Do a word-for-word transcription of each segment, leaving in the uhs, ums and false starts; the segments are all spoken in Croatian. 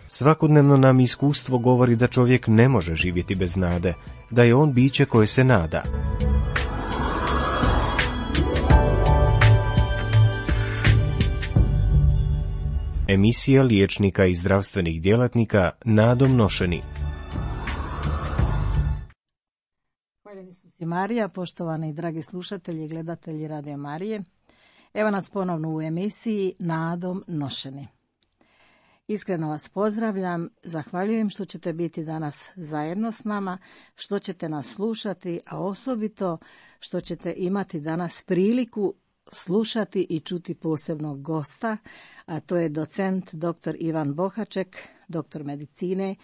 Svakodnevno nam iskustvo govori da čovjek ne može živjeti bez nade, da je on biće koje se nada. Emisija liječnika i zdravstvenih djelatnika nadom nošeni. Hvaljeni su si Marija, poštovani dragi slušatelji i gledatelji Radio Marije. Evo nas ponovno u emisiji Nadom nošeni. Iskreno vas pozdravljam, zahvaljujem što ćete biti danas zajedno s nama, što ćete nas slušati, a osobito što ćete imati danas priliku slušati i čuti posebnog gosta, a to je docent doktor Ivan Bohaček, doktor medicine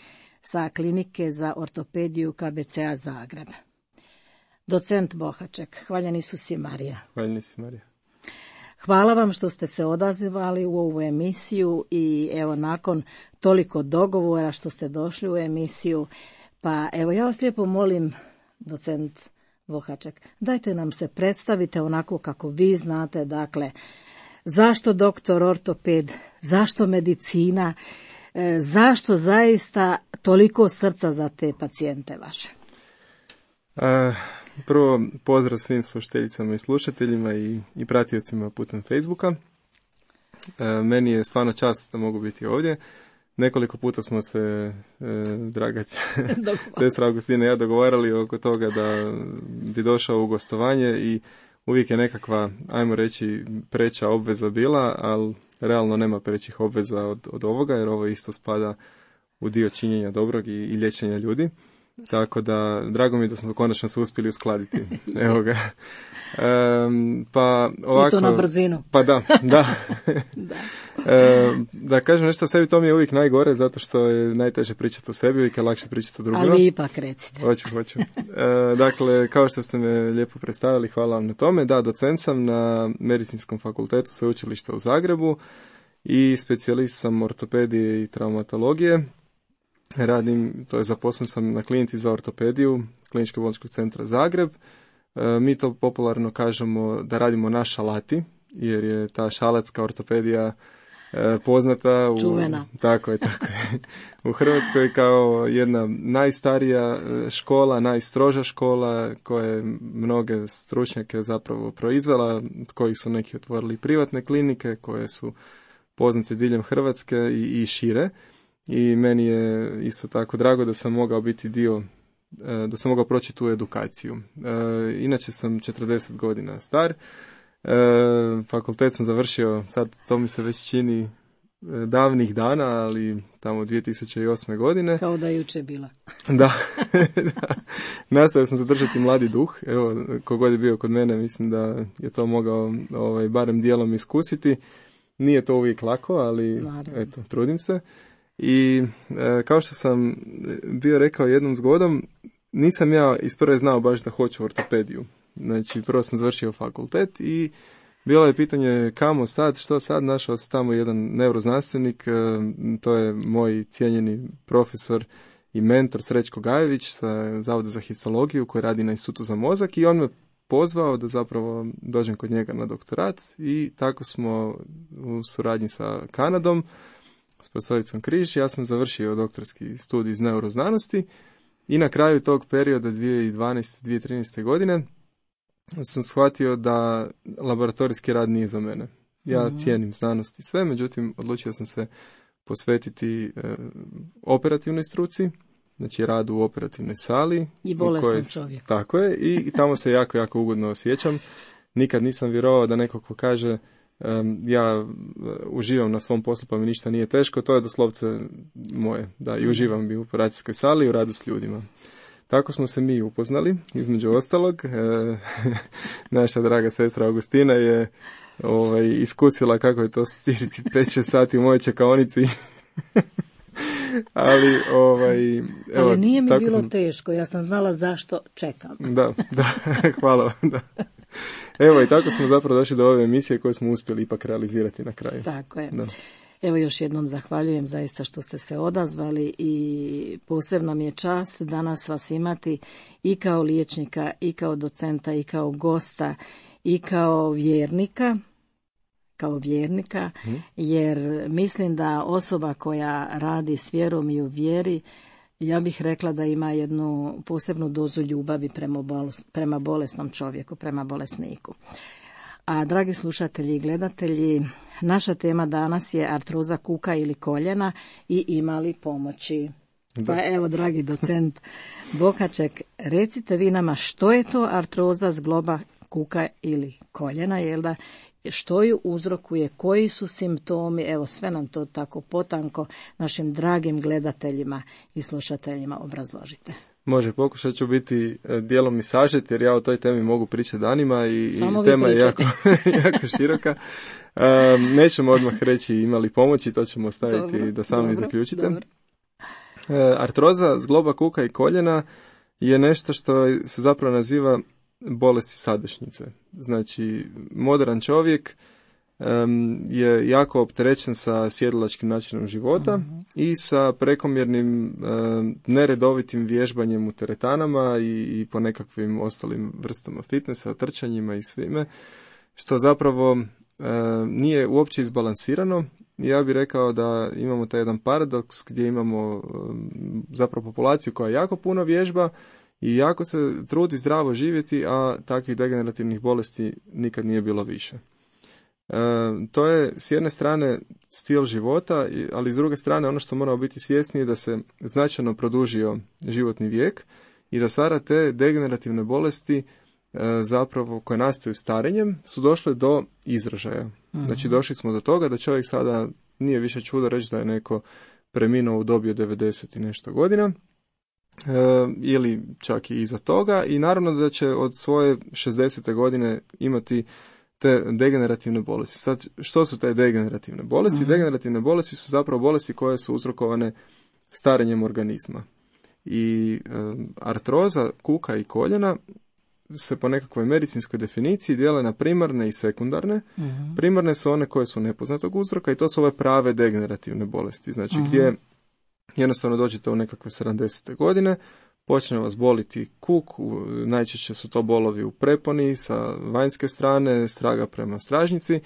sa klinike za ortopediju K B C A Zagreb. Docent Bohaček, hvaljeni su si Marija. Hvaljeni si Marija. Hvala vam što ste se odazivali u ovu emisiju i evo nakon toliko dogovora što ste došli u emisiju, pa evo ja vas lijepo molim, docent Bohaček, dajte nam se predstavite onako kako vi znate, dakle, zašto doktor ortoped, zašto medicina, e, zašto zaista toliko srca za te pacijente vaše? A, prvo, pozdrav svim slušateljicama i slušateljima i, i pratiocima putem Facebooka. E, meni je stvarno čast da mogu biti ovdje. Nekoliko puta smo se, e, draga sestra Augustina i ja, dogovarali oko toga da bi došao u gostovanje i uvijek je nekakva, ajmo reći, preća obveza bila, ali realno nema prećih obveza od, od ovoga, jer ovo isto spada u dio činjenja dobrog i, i liječenja ljudi. Tako da, drago mi je da smo konačno se uspjeli uskladiti. Evo ga. Um, pa ovako, I to na brzinu. Pa da, da. da. E, da kažem nešto o sebi, to mi je uvijek najgore, zato što je najteže pričati o sebi, uvijek je lakše pričati o drugima. Ali vi ipak recite. Hoću, hoću. E, dakle, kao što ste me lijepo predstavili, hvala vam na tome. Da, docent sam na Medicinskom fakultetu Sveučilišta u Zagrebu i specijalist sam ortopedije i traumatologije. Radim, to je zaposlen sam na klinici za ortopediju Kliničkog bolničkog centra Zagreb. E, mi to popularno kažemo da radimo na šalati, jer je ta šalatska ortopedija e, poznata u, čuvena. Tako je, tako je. U Hrvatskoj kao jedna najstarija škola, najstroža škola koja je mnoge stručnjake zapravo proizvela, koji su neki otvorili privatne klinike koje su poznate diljem Hrvatske i, i šire. I meni je isto tako drago da sam mogao biti dio, da sam mogao proći tu edukaciju. E, inače sam četrdeset godina star, e, fakultet sam završio, sad to mi se već čini davnih dana, ali tamo dvije tisuće osme godine. Kao da je jučer bila. Da, da. Nastavio sam zadržati mladi duh, evo, kogod je bio kod mene, mislim da je to mogao ovaj, barem dijelom iskusiti. Nije to uvijek lako, ali Naravno. eto, trudim se. I e, kao što sam bio rekao jednom zgodom, nisam ja isprve znao baš da hoću ortopediju. Znači, prvo sam završio fakultet i bilo je pitanje kamo sad, što sad, našao se tamo jedan neuroznanstvenik, e, to je moj cijenjeni profesor i mentor Srećko Gajević sa Zavoda za histologiju koji radi na Institutu za mozak i on me pozvao da zapravo dođem kod njega na doktorat i tako smo u suradnji sa Kanadom, s profesoricom Križ, ja sam završio doktorski studij iz neuroznanosti i na kraju tog perioda dvije tisuće dvanaeste do dvije tisuće trinaeste godine sam shvatio da laboratorijski rad nije za mene. Ja mm-hmm. cijenim znanost i sve, međutim odlučio sam se posvetiti e, operativnoj struci, znači radu u operativnoj sali. I bolesnom čovjeku. Tako je, i, i tamo se jako, jako ugodno osjećam. Nikad nisam vjerovao da neko ko kaže Um, ja uživam na svom poslu pa mi ništa nije teško, to je doslovce moje, da, i uživam bi u operacijskoj sali i u radu s ljudima. Tako smo se mi upoznali, između ostalog. E, naša draga sestra Augustina je ovaj, iskusila kako je to stiriti pet šest sati u mojoj čekaonici. Ali, ovaj, evo, Ali nije mi bilo sam... teško, ja sam znala zašto čekam. Da, da, hvala vam, da. Evo i tako smo zapravo došli do ove emisije koje smo uspjeli ipak realizirati na kraju. Tako je. Da. Evo još jednom zahvaljujem zaista što ste se odazvali i posebno mi je čast danas vas imati i kao liječnika, i kao docenta, i kao gosta, i kao vjernika, kao vjernika, jer mislim da osoba koja radi s vjerom i u vjeri, ja bih rekla da ima jednu posebnu dozu ljubavi prema, bolest, prema bolesnom čovjeku, prema bolesniku. A dragi slušatelji i gledatelji, naša tema danas je artroza kuka ili koljena i ima li pomoći? Da. Pa evo, dragi docent Bohaček, recite vi nama što je to artroza zgloba kuka ili koljena, jel da? Što ju uzrokuje, koji su simptomi, evo sve nam to tako potanko našim dragim gledateljima i slušateljima obrazložite. Može, pokušat ću biti dijelom i sažet, jer ja o toj temi mogu pričati danima i, i tema je jako, jako široka. Um, nećemo odmah reći imali pomoći, to ćemo ostaviti dobro, da sami dobro, zaključite. Dobro. Uh, artroza zgloba kuka i koljena je nešto što se zapravo naziva bolesti sadašnjice. Znači, modern čovjek um, je jako opterećen sa sjedilačkim načinom života uh-huh. i sa prekomjernim um, neredovitim vježbanjem u teretanama i, i po nekakvim ostalim vrstama fitnessa, trčanjima i svime, što zapravo um, nije uopće izbalansirano. Ja bih rekao da imamo taj jedan paradoks gdje imamo um, zapravo populaciju koja jako puno vježba i jako se trudi zdravo živjeti, a takvih degenerativnih bolesti nikad nije bilo više. E, to je s jedne strane stil života, ali s druge strane ono što moramo biti svjesni je da se značajno produžio životni vijek i da sada te degenerativne bolesti e, zapravo koje nastaju starenjem su došle do izražaja. Mm-hmm. Znači došli smo do toga da čovjek sada nije više čudo reći da je neko preminuo u dobi od devedeset i nešto godina. E, ili čak i iza toga i naravno da će od svoje šezdesete godine imati te degenerativne bolesti. Sad, što su te degenerativne bolesti? Uh-huh. Degenerativne bolesti su zapravo bolesti koje su uzrokovane starenjem organizma. I e, artroza kuka i koljena se po nekakvoj medicinskoj definiciji dijele na primarne i sekundarne. Uh-huh. Primarne su one koje su nepoznatog uzroka i to su ove prave degenerativne bolesti. Znači uh-huh. gdje jednostavno dođete u nekakve sedamdesete godine, počne vas boliti kuk, najčešće su to bolovi u preponi sa vanjske strane, straga prema stražnici,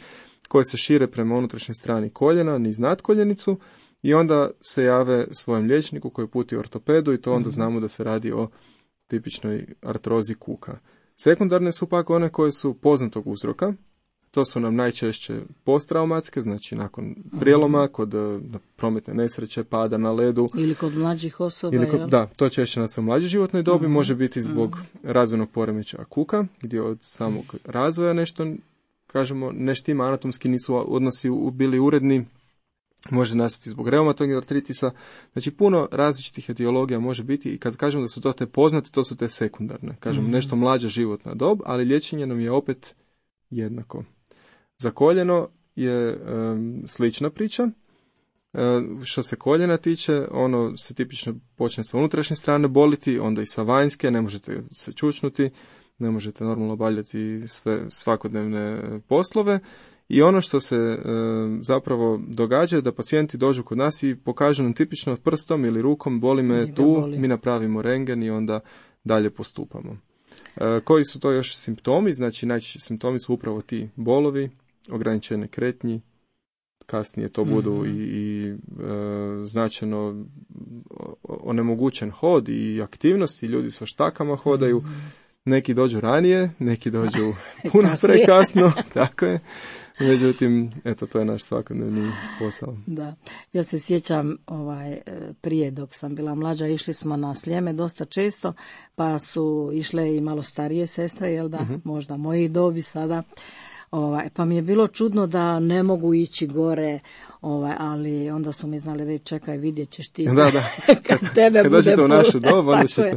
koje se šire prema unutrašnjoj strani koljena, niz natkoljenicu i onda se jave svojem liječniku koji puti ortopedu i to onda znamo da se radi o tipičnoj artrozi kuka. Sekundarne su pak one koje su poznatog uzroka. To su nam najčešće posttraumatske, znači nakon prijeloma, kod prometne nesreće, pada na ledu. Ili kod mlađih osoba. Ili kod, da, to češće na svoj mlađoj životnoj dobi, uh-huh. može biti zbog uh-huh. razvojnog poremećaja kuka, gdje od samog razvoja nešto, kažemo, ne štima, anatomski nisu odnosi bili uredni, može nastati zbog reumatoidnog artritisa. Znači puno različitih etiologija može biti i kad kažemo da su to te poznate, to su te sekundarne. Kažemo uh-huh. nešto mlađa životna dob, ali liječenje nam je opet jednako. Za koljeno je um, slična priča. Um, što se koljena tiče, ono se tipično počne sa unutrašnje strane boliti, onda i sa vanjske, ne možete se čučnuti, ne možete normalno obavljati sve svakodnevne poslove. I ono što se um, zapravo događa je da pacijenti dođu kod nas i pokažu nam tipično prstom ili rukom, boli me tu, boli. Mi napravimo rentgen i onda dalje postupamo. Uh, koji su to još simptomi? Znači najčešći simptomi su upravo ti bolovi, ograničene kretnji, kasnije to budu mm-hmm. i, i e, značajno onemogućen hod i aktivnosti, ljudi sa štakama hodaju, mm-hmm. neki dođu ranije, neki dođu puno prekasno, tako je. Međutim, eto, to je naš svakodnevni posao. Da, ja se sjećam ovaj, prije dok sam bila mlađa, išli smo na Sljeme dosta često, pa su išle i malo starije sestre, jel da, mm-hmm. možda moji dobi sada. Ovaj, pa mi je bilo čudno da ne mogu ići gore, ovaj, ali onda su mi znali reći čekaj, vidjet ćeš ti. Da, da. kad tebe kad bude dođete u našu dobu, onda ćete.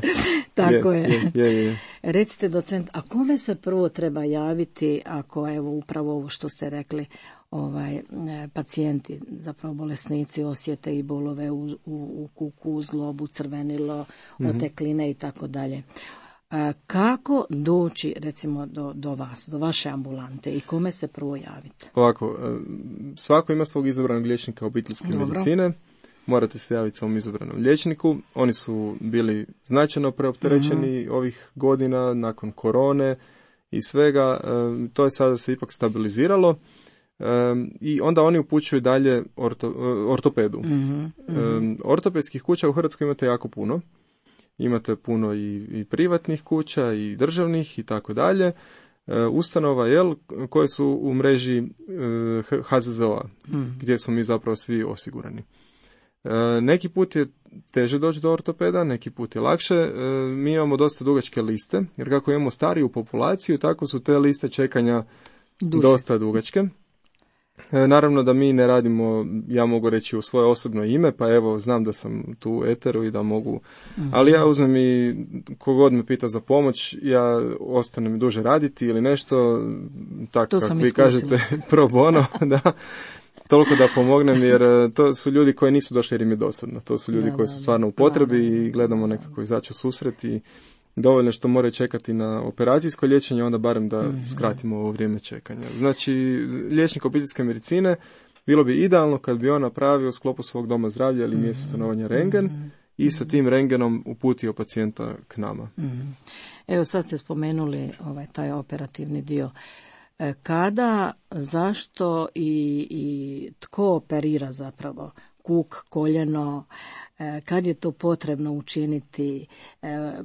Tako je. je. je, je, je. Recite docent, a kome se prvo treba javiti ako evo upravo ovo što ste rekli, ovaj pacijenti, zapravo bolesnici osjete i bolove u, u, u kuku, u zglobu, crvenilo, mm-hmm. otekline i tako dalje. Kako doći recimo do, do vas, do vaše ambulante i kome se prvo javiti? Ovako, svako ima svog izabranog liječnika obiteljske Dobro. medicine. Morate se javiti svom izabranom liječniku. Oni su bili značajno preopterećeni mm-hmm. ovih godina nakon korone i svega. To je sada se ipak stabiliziralo. Um, i onda oni upućuju dalje orto, ortopedu. Mm-hmm, mm-hmm. Um, ortopedskih kuća u Hrvatskoj imate jako puno. Imate puno i, i privatnih kuća i državnih i tako dalje. Ustanova jel, koje su u mreži uh, H Z Z O-a, mm. gdje smo mi zapravo svi osigurani. Uh, neki put je teže doći do ortopeda, neki put je lakše. Uh, mi imamo dosta dugačke liste, jer kako imamo stariju populaciju, tako su te liste čekanja Duže. dosta dugačke. Naravno da mi ne radimo, ja mogu reći u svoje osobno ime, pa evo znam da sam tu u eteru i da mogu, mm-hmm. ali ja uzmem i kogod me pita za pomoć, ja ostanem duže raditi ili nešto, tako kako vi kažete, pro bono, da, toliko da pomognem, jer to su ljudi koji nisu došli jer im je dosadno, to su ljudi da, koji su stvarno u potrebi da, da, i gledamo nekako izaći u susret i dovoljno što moraju čekati na operacijsko liječenje, onda barem da mm-hmm. skratimo ovo vrijeme čekanja. Znači, liječnik obiteljske medicine bilo bi idealno kad bi on napravio u sklopu svog doma zdravlja ili mjesta stanovanja rengen mm-hmm. i sa tim rengenom uputio pacijenta k nama. Mm-hmm. Evo sad ste spomenuli ovaj, taj operativni dio. Kada, zašto i, i tko operira zapravo? Kuk, koljeno, kad je to potrebno učiniti,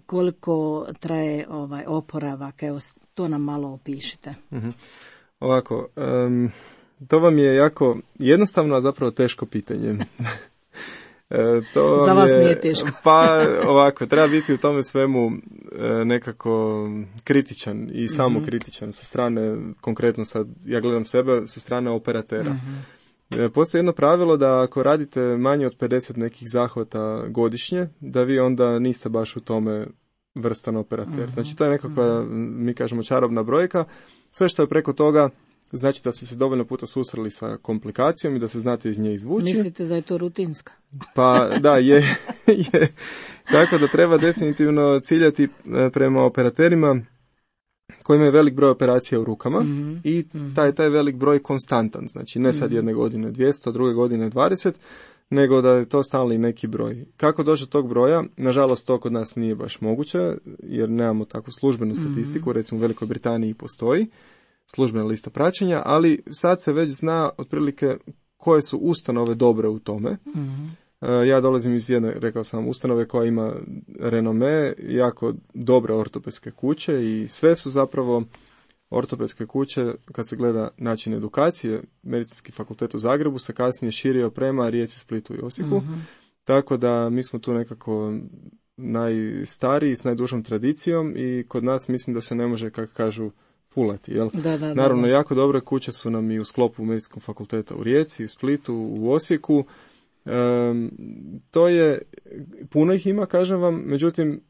koliko traje ovaj oporavak, evo to nam malo opišite. Mm-hmm. Ovako, um, to vam je jako jednostavno, a zapravo teško pitanje. e, to Za vas je, nije teško. Pa ovako, treba biti u tome svemu e, nekako kritičan i samo mm-hmm. kritičan sa strane, konkretno sad ja gledam sebe, sa strane operatera. Mm-hmm. Postoji jedno pravilo da ako radite manje od pedeset nekih zahvata godišnje, da vi onda niste baš u tome vrstan operater. Mm-hmm. Znači to je nekakva, mm-hmm. mi kažemo, čarobna brojka. Sve što je preko toga znači da ste se dovoljno puta susreli sa komplikacijom i da se znate iz nje izvući. Mislite da je to rutinska? Pa da, je. je. Tako da treba definitivno ciljati prema operaterima koji imaju velik broj operacija u rukama mm-hmm. i taj, taj velik broj konstantan, znači ne sad jedne godine dvjesto, druge godine dvadeset, nego da je to stalni neki broj. Kako doći do tog broja? Nažalost, to kod nas nije baš moguće, jer nemamo takvu službenu statistiku, mm-hmm. recimo u Velikoj Britaniji postoji službena lista praćenja, ali sad se već zna otprilike koje su ustanove dobre u tome. Mm-hmm. Ja dolazim iz jedne, rekao sam, ustanove koja ima renome, jako dobre ortopedske kuće i sve su zapravo ortopedske kuće, kad se gleda način edukacije, Medicinski fakultet u Zagrebu se kasnije širio prema Rijeci, Splitu i Osijeku, mm-hmm. tako da mi smo tu nekako najstariji s najdužom tradicijom i kod nas mislim da se ne može, kako kažu, fulati. Jel? Da, da, Naravno, da, da. jako dobre kuće su nam i u sklopu Medicinskog fakulteta u Rijeci, u Splitu, u Osijeku. Um, to je, puno ih ima, kažem vam, međutim,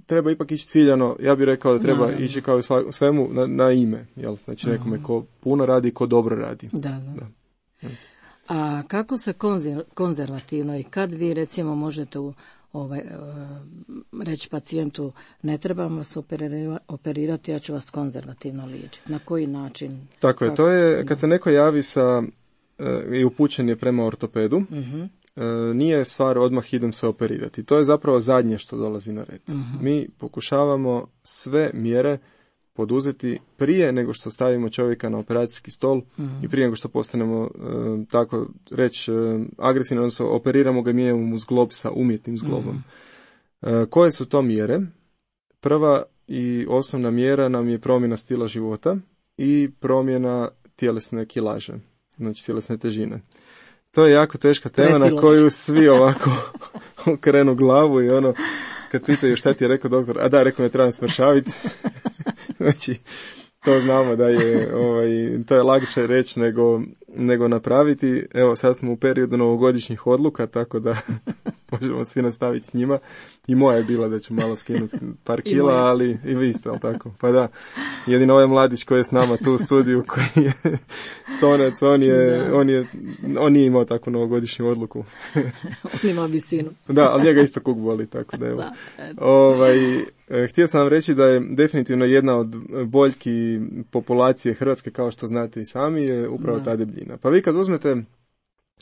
treba ipak ići ciljano, ja bih rekao da treba no, ići kao u svemu na, na ime, jel? Znači nekome ko puno radi, ko dobro radi. Da, da. da. A kako se konzer, konzervativno i kad vi recimo možete u, ovaj, reći pacijentu ne trebam vas operirati, ja ću vas konzervativno liječiti, na koji način? Tako je, to je kad se neko javi sa i upućen je prema ortopedu, uh-huh. nije stvar odmah idem se operirati. To je zapravo zadnje što dolazi na red. Uh-huh. Mi pokušavamo sve mjere poduzeti prije nego što stavimo čovjeka na operacijski stol uh-huh. i prije nego što postanemo, tako reći, agresivno, odnosno operiramo ga, mijenjamo mu zglob sa umjetnim zglobom. Uh-huh. Koje su to mjere? Prva i osnovna mjera nam je promjena stila života i promjena tjelesne kilaže. Znači tjelesne težine. To je jako teška tema Pretilost. Na koju svi ovako okrenu glavu i ono, kad pitaju šta ti je rekao doktor, a da, rekao me trebam svršaviti. Znači, to znamo da je, ovaj, to je lakše reći nego, nego napraviti. Evo, sad smo u periodu novogodišnjih odluka, tako da možemo svi nastaviti s njima. I moja je bila da ću malo skinuti par kila, ali i vi ste, ali tako? Pa da, jedino ovaj mladić koji je s nama tu u studiju, koji je tonac, on je, on je, on nije imao takvu novogodišnju odluku. On ima visinu. Da, ali njega isto kuk boli, tako da evo. Da, ovaj, htio sam vam reći da je definitivno jedna od boljki populacije Hrvatske, kao što znate i sami, je upravo da. ta debljina. Pa vi kad uzmete,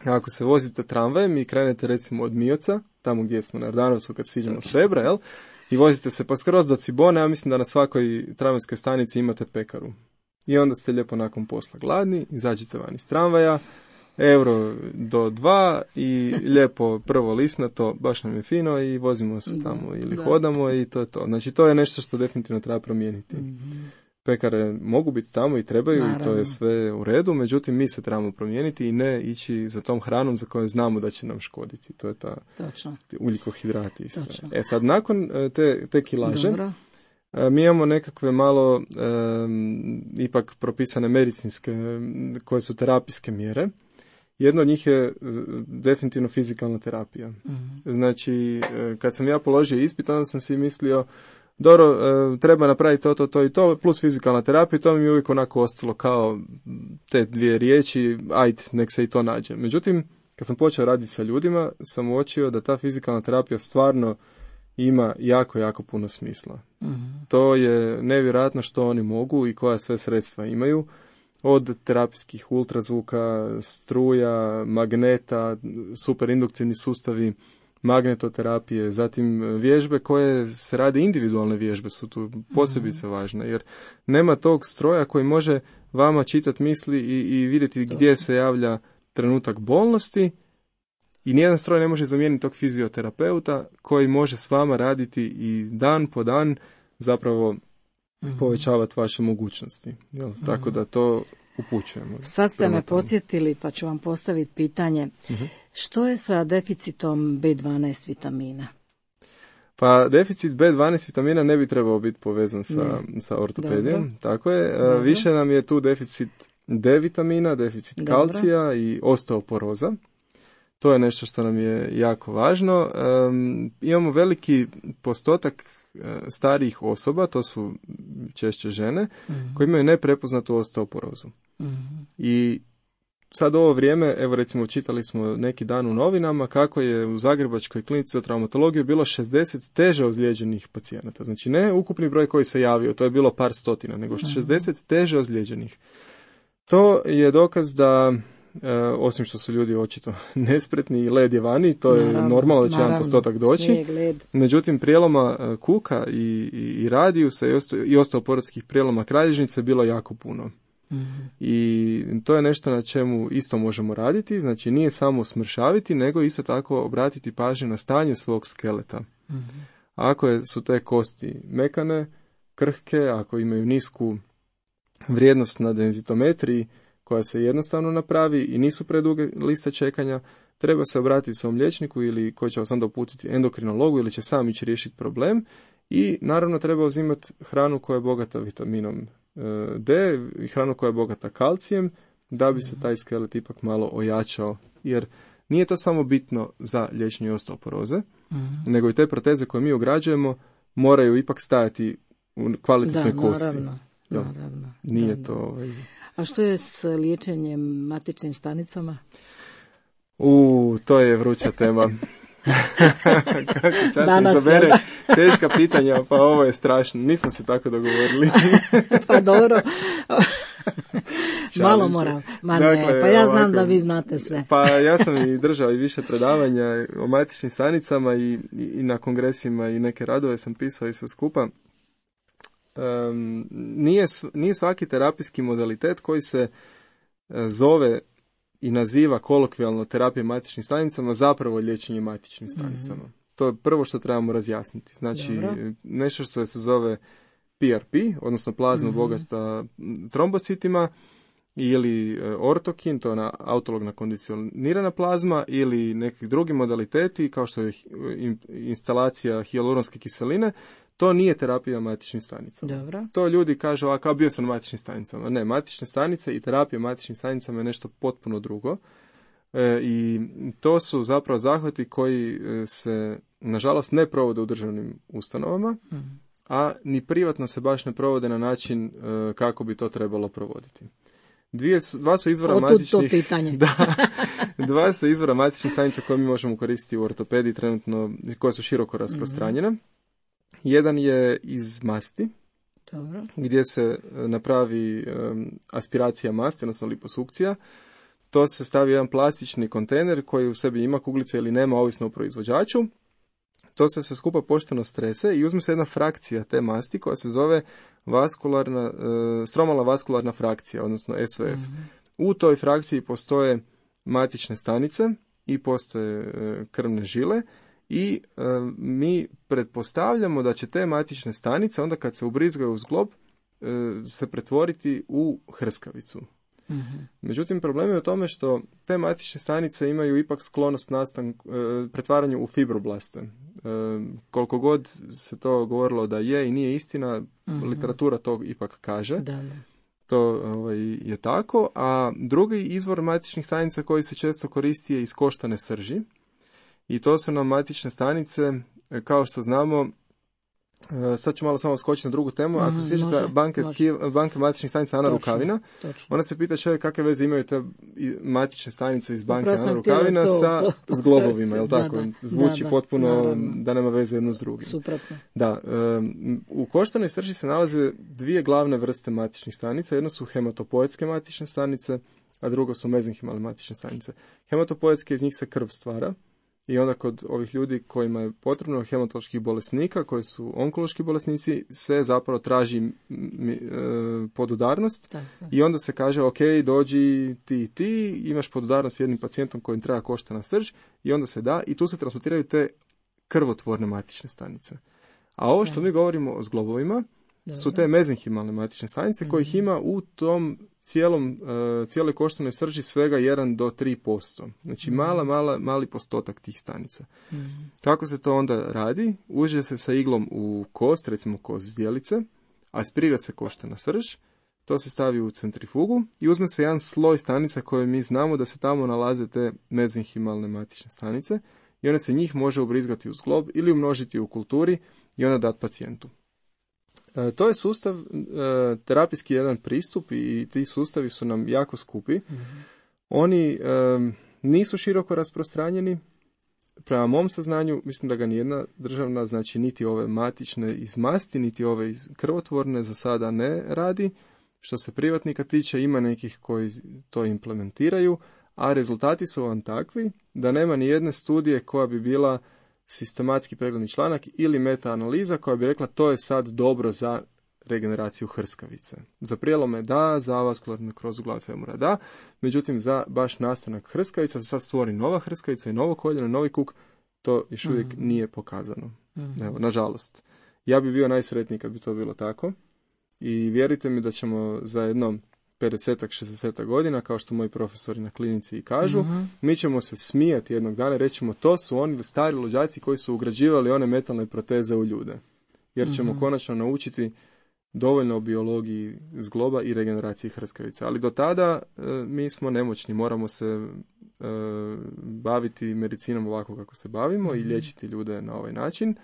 ako se vozite tramvajem i krenete recimo od Mioca, tamo gdje smo na Jordanovcu kad siđemo s Rebra, jel? I vozite se pa skroz do Cibone, ja mislim da na svakoj tramvajskoj stanici imate pekaru. i onda ste lijepo nakon posla gladni, izađete van iz tramvaja, euro do dva i lijepo prvo lisnato, baš nam je fino i vozimo se tamo da, ili da. hodamo i to je to. Znači to je nešto što definitivno treba promijeniti. Mm-hmm. Pekare mogu biti tamo i trebaju Naravno. I to je sve u redu, međutim mi se trebamo promijeniti i ne ići za tom hranom za koju znamo da će nam škoditi. To je ta ugljikohidrati i sve. Točno. E sad nakon te, te kilaže Dobro. Mi imamo nekakve malo um, ipak propisane medicinske koje su terapijske mjere. Jedno od njih je definitivno fizikalna terapija. Mm-hmm. Znači, kad sam ja položio ispit, onda sam si mislio, dobro, treba napraviti to, to, to i to, plus fizikalna terapija, to mi je uvijek onako ostalo kao te dvije riječi, ajde, nek se i to nađe. Međutim, kad sam počeo raditi sa ljudima, sam uočio da ta fizikalna terapija stvarno ima jako, jako puno smisla. Mm-hmm. To je nevjerojatno što oni mogu i koja sve sredstva imaju. Od terapijskih ultrazvuka, struja, magneta, superinduktivni sustavi, magnetoterapije, zatim vježbe koje se rade, individualne vježbe su tu posebice važne, jer nema tog stroja koji može vama čitati misli i, i vidjeti gdje se javlja trenutak bolnosti i nijedan stroj ne može zamijeniti tog fizioterapeuta koji može s vama raditi i dan po dan zapravo mm-hmm. povećavati vaše mogućnosti. Jel? Mm-hmm. Tako da to upućujemo. Sad ste me podsjetili pa ću vam postaviti pitanje. Mm-hmm. Što je sa deficitom be dvanaest vitamina? Pa deficit be dvanaest vitamina ne bi trebao biti povezan sa, sa ortopedijom. Dobro. Tako je. Dobro. Više nam je tu deficit D vitamina, deficit Dobro. kalcija i osteoporoza. To je nešto što nam je jako važno. Um, imamo veliki postotak starijih osoba, to su češće žene, mm-hmm. koji imaju neprepoznatu osteoporozu. Mm-hmm. I sad ovo vrijeme, evo recimo čitali smo neki dan u novinama kako je u Zagrebačkoj klinici za traumatologiju bilo šezdeset teže ozlijeđenih pacijenata. Znači ne ukupni broj koji se javio, to je bilo par stotina, nego šezdeset mm-hmm. teže ozlijeđenih. To je dokaz da E, osim što su ljudi očito nespretni i led je vani, to naravno, je normalno da će jedan postotak doći. Međutim, prijeloma kuka i, i, i radijusa i, osto, i osteoporotskih prijeloma kralježnice bilo jako puno. Mm-hmm. I to je nešto na čemu isto možemo raditi, znači nije samo smršaviti, nego isto tako obratiti pažnju na stanje svog skeleta. Mm-hmm. Ako je, su te kosti mekane, krhke, ako imaju nisku vrijednost na denzitometriji, koja se jednostavno napravi i nisu preduge liste čekanja, treba se obratiti svom liječniku ili koji će vas onda uputiti endokrinologu ili će sam ići riješiti problem i naravno treba uzimati hranu koja je bogata vitaminom D i hranu koja je bogata kalcijem da bi se taj skelet ipak malo ojačao, jer nije to samo bitno za liječenje osteoporoze, mm-hmm. nego i te proteze koje mi ugrađujemo moraju ipak stajati u kvalitetnoj da, kosti. Naravno, naravno. Nije da, to... Ovaj... A što je s liječenjem matičnim stanicama? U, to je vruća tema. Kako čak izabere teška pitanja, pa ovo je strašno. Nismo se tako dogovorili. Pa dobro. Malo moram. Ma ne, dakle, pa ja znam ovako, da vi znate sve. Pa ja sam i držao i više predavanja o matičnim stanicama i, i, i na kongresima i neke radove sam pisao i sve skupa. Um, nije, nije svaki terapijski modalitet koji se uh, zove i naziva kolokvijalno terapija matičnim stanicama zapravo liječenje matičnim stanicama. Mm-hmm. To je prvo što trebamo razjasniti. Znači Dobro. nešto što se zove P R P, odnosno plazma mm-hmm. bogata trombocitima ili uh, ortokin, to je ona autologna kondicionirana plazma ili neki drugi modaliteti kao što je instalacija hijaluronske kiseline. To nije terapija matičnim stanicama. Dobro. To ljudi kažu, a kao bio sam na matičnim stanicama. Ne, matične stanice i terapija matičnim stanicama je nešto potpuno drugo. E, I to su zapravo zahvati koji se, nažalost, ne provode u državnim ustanovama, mm. a ni privatno se baš ne provode na način e, kako bi to trebalo provoditi. Dvije su, dva su izvora matičnih... to pitanje. Da, dva su izvora matičnih stanica koje mi možemo koristiti u ortopediji trenutno, koje su široko rasprostranjene. Mm. Jedan je iz masti, Dobro. gdje se napravi um, aspiracija masti, odnosno liposukcija. To se stavi jedan plastični kontejner koji u sebi ima kuglice ili nema, ovisno o proizvođaču. To se sve skupa pošteno strese i uzme se jedna frakcija te masti koja se zove vaskularna, e, stromalna vaskularna frakcija, odnosno S V F. Mm-hmm. U toj frakciji postoje matične stanice i postoje e, krvne žile i e, mi pretpostavljamo da će te matične stanice onda kad se ubrizgaju u zglob e, se pretvoriti u hrskavicu. Mm-hmm. Međutim, problem je u tome što te matične stanice imaju ipak sklonost nastanku, e, pretvaranju u fibroblaste. E, koliko god se to govorilo da je i nije istina, mm-hmm. literatura to ipak kaže. Da, da. To ovaj, je tako. A drugi izvor matičnih stanica koji se često koristi je iz koštane srži. I to su nam matične stanice, kao što znamo. Sad ću malo samo skočiti na drugu temu. Ako se sjećate banke, banke matičnih stanica Ana točno, Rukavina, točno. Ona se pita čovjek kakve veze imaju te matične stanice iz banke Ana Rukavina to, sa zglobovima, jel tako? Da, da, Zvuči da, da, potpuno naravno. Da nema veze jedno s drugim. Suprotno. Da, um, u koštanoj srži se nalaze dvije glavne vrste matičnih stanica. Jedno su hematopoetske matične stanice, a drugo su mezenhimalne matične stanice. Hematopoetske, iz njih se krv stvara. I onda kod ovih ljudi kojima je potrebno hematoloških bolesnika, koji su onkološki bolesnici, se zapravo traži m, m, e, podudarnost. Tako. I onda se kaže, ok, dođi ti i ti, imaš podudarnost s jednim pacijentom kojim treba koštana srž i onda se da i tu se transportiraju te krvotvorne matične stanice. A ovo što mi govorimo o zglobovima Dobre. su te mezenhimalne matične stanice, mm-hmm. kojih ima u tom cijelom, uh, cijeloj koštanoj srži svega jedan do tri posto. Znači mm-hmm. mala, mala, mali postotak tih stanica. Mm-hmm. Kako se to onda radi? Uđe se sa iglom u kost, recimo kost zdjelice, aspirira se koštana srž, to se stavi u centrifugu i uzme se jedan sloj stanica koje mi znamo da se tamo nalaze te mezenhimalne matične stanice i onda se njih može ubrizgati u zglob ili umnožiti u kulturi i onda dati pacijentu. E, to je sustav, e, terapijski jedan pristup i ti sustavi su nam jako skupi. Mm-hmm. Oni e, nisu široko rasprostranjeni. Prema mom saznanju, mislim da ga nijedna državna, znači niti ove matične iz masti, niti ove iz krvotvorne za sada ne radi. Što se privatnika tiče, ima nekih koji to implementiraju, a rezultati su vam takvi da nema ni jedne studije koja bi bila sistematski pregledni članak ili meta-analiza koja bi rekla to je sad dobro za regeneraciju hrskavice. Za prijelome da, za vaskularnu nekrozu glave femura da, međutim za baš nastanak hrskavica, da sad stvori nova hrskavica i novo koljeno, novi kuk, to još uvijek mm-hmm. nije pokazano. Mm-hmm. Evo, nažalost. Ja bi bio najsretniji kad bi to bilo tako i vjerujte mi da ćemo za jedno pedesetak, šezdesetak godina, kao što moji profesori na klinici i kažu, mm-hmm. mi ćemo se smijati jednog dana i rećemo to su oni stari luđaci koji su ugrađivali one metalne proteze u ljude. Jer ćemo mm-hmm. konačno naučiti dovoljno o biologiji zgloba i regeneraciji hrskavice. Ali do tada e, mi smo nemoćni, moramo se e, baviti medicinom ovako kako se bavimo mm-hmm. i liječiti ljude na ovaj način.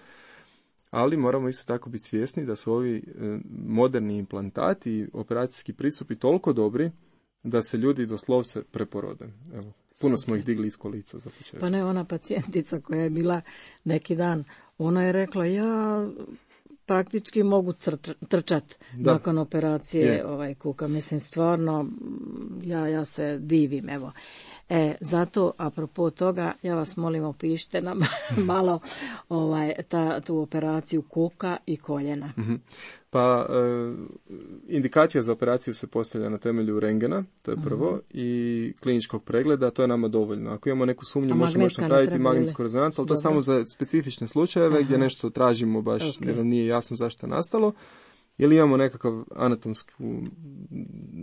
Ali moramo isto tako biti svjesni da su ovi e, moderni implantati i operacijski pristupi toliko dobri da se ljudi doslovce preporode. Evo, puno smo ih digli iz kolica za početak. Pa ne, ona pacijentica koja je bila neki dan, ona je rekla ja praktički mogu tr- trčati nakon operacije je. ovaj kuka. Mislim, stvarno, ja, ja se divim, evo. E, zato, apropo toga, ja vas molim, opišite nam malo ovaj, ta, tu operaciju kuka i koljena. Mm-hmm. Pa, e, indikacija za operaciju se postavlja na temelju rengena, to je prvo, mm-hmm. i kliničkog pregleda, to je nama dovoljno. Ako imamo neku sumnju, možemo još napraviti magnetsku rezonancu, ali to je samo za specifične slučajeve Aha. gdje nešto tražimo baš, okay. jer nam nije jasno zašto je nastalo. Ili imamo nekakav anatomsku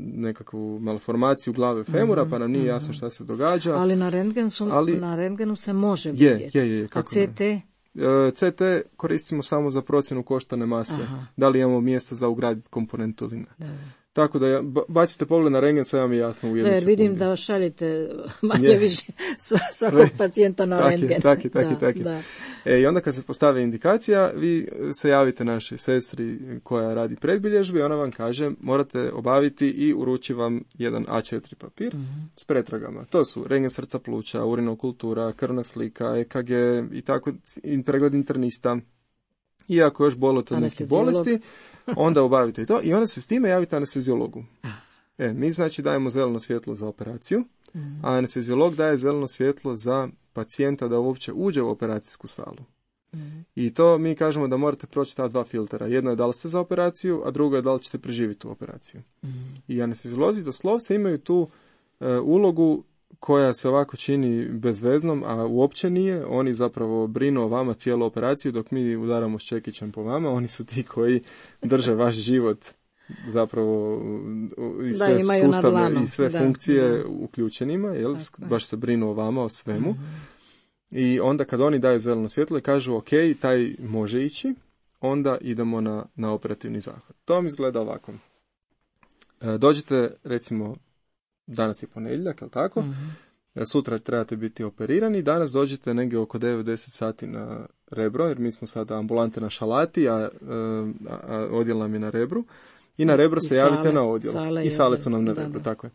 nekakvu malformaciju glave femura, mm-hmm. pa nam nije mm-hmm. jasno šta se događa. Ali na rentgenu, su, Ali, na rentgenu se može vidjeti. Je, je, je. Kako A C T? Ne? C T koristimo samo za procjenu koštane mase. Aha. Da li imamo mjesta za ugraditi komponentu ili ne. Da. Tako da ja, bacite pogled na rentgen, sve vam je jasno u jednu sekundu. Vidim da šaljete manje yeah. više svakog pacijenta na tak rentgen. Taki, taki, da, taki. Da. E, I onda kad se postavi indikacija, vi se javite našoj sestri koja radi predbilježbu i ona vam kaže morate obaviti i uruči vam jedan A četiri papir mm-hmm. s pretragama. To su rentgen srca pluća, urinokultura, krvna slika, E K G i tako, pregled internista. I ako još bolite od nekih bolesti, onda obavite i to i onda se s time javite anesteziologu. E, mi znači dajemo zeleno svjetlo za operaciju, a anesteziolog daje zeleno svjetlo za pacijenta da uopće uđe u operacijsku salu. Mm-hmm. I to mi kažemo da morate proći ta dva filtera. Jedno je da li ste za operaciju, a drugo je da li ćete preživjeti tu operaciju. Mm-hmm. I anesteziolozi doslovce imaju tu e, ulogu koja se ovako čini bezveznom, a uopće nije. Oni zapravo brinu o vama cijelu operaciju, dok mi udaramo s čekićem po vama. Oni su ti koji drže vaš život zapravo i sve da, sustave i sve da, funkcije da. uključenima, jel? Baš se brinu o vama, o svemu. Mm-hmm. I onda kad oni daju zeleno svjetlo i kažu ok, taj može ići, onda idemo na, na operativni zahvat. To vam izgleda ovako. E, dođete, recimo, danas je ponedjeljak, jel tako? Mm-hmm. Sutra trebate biti operirani, danas dođete negdje oko devet do deset sati na Rebro, jer mi smo sada ambulante na Šalati, a, a, a odjel nam je na Rebru. I na Rebro se sale, javite na odjel. Sale I sale su nam na da, Rebro, da. tako je.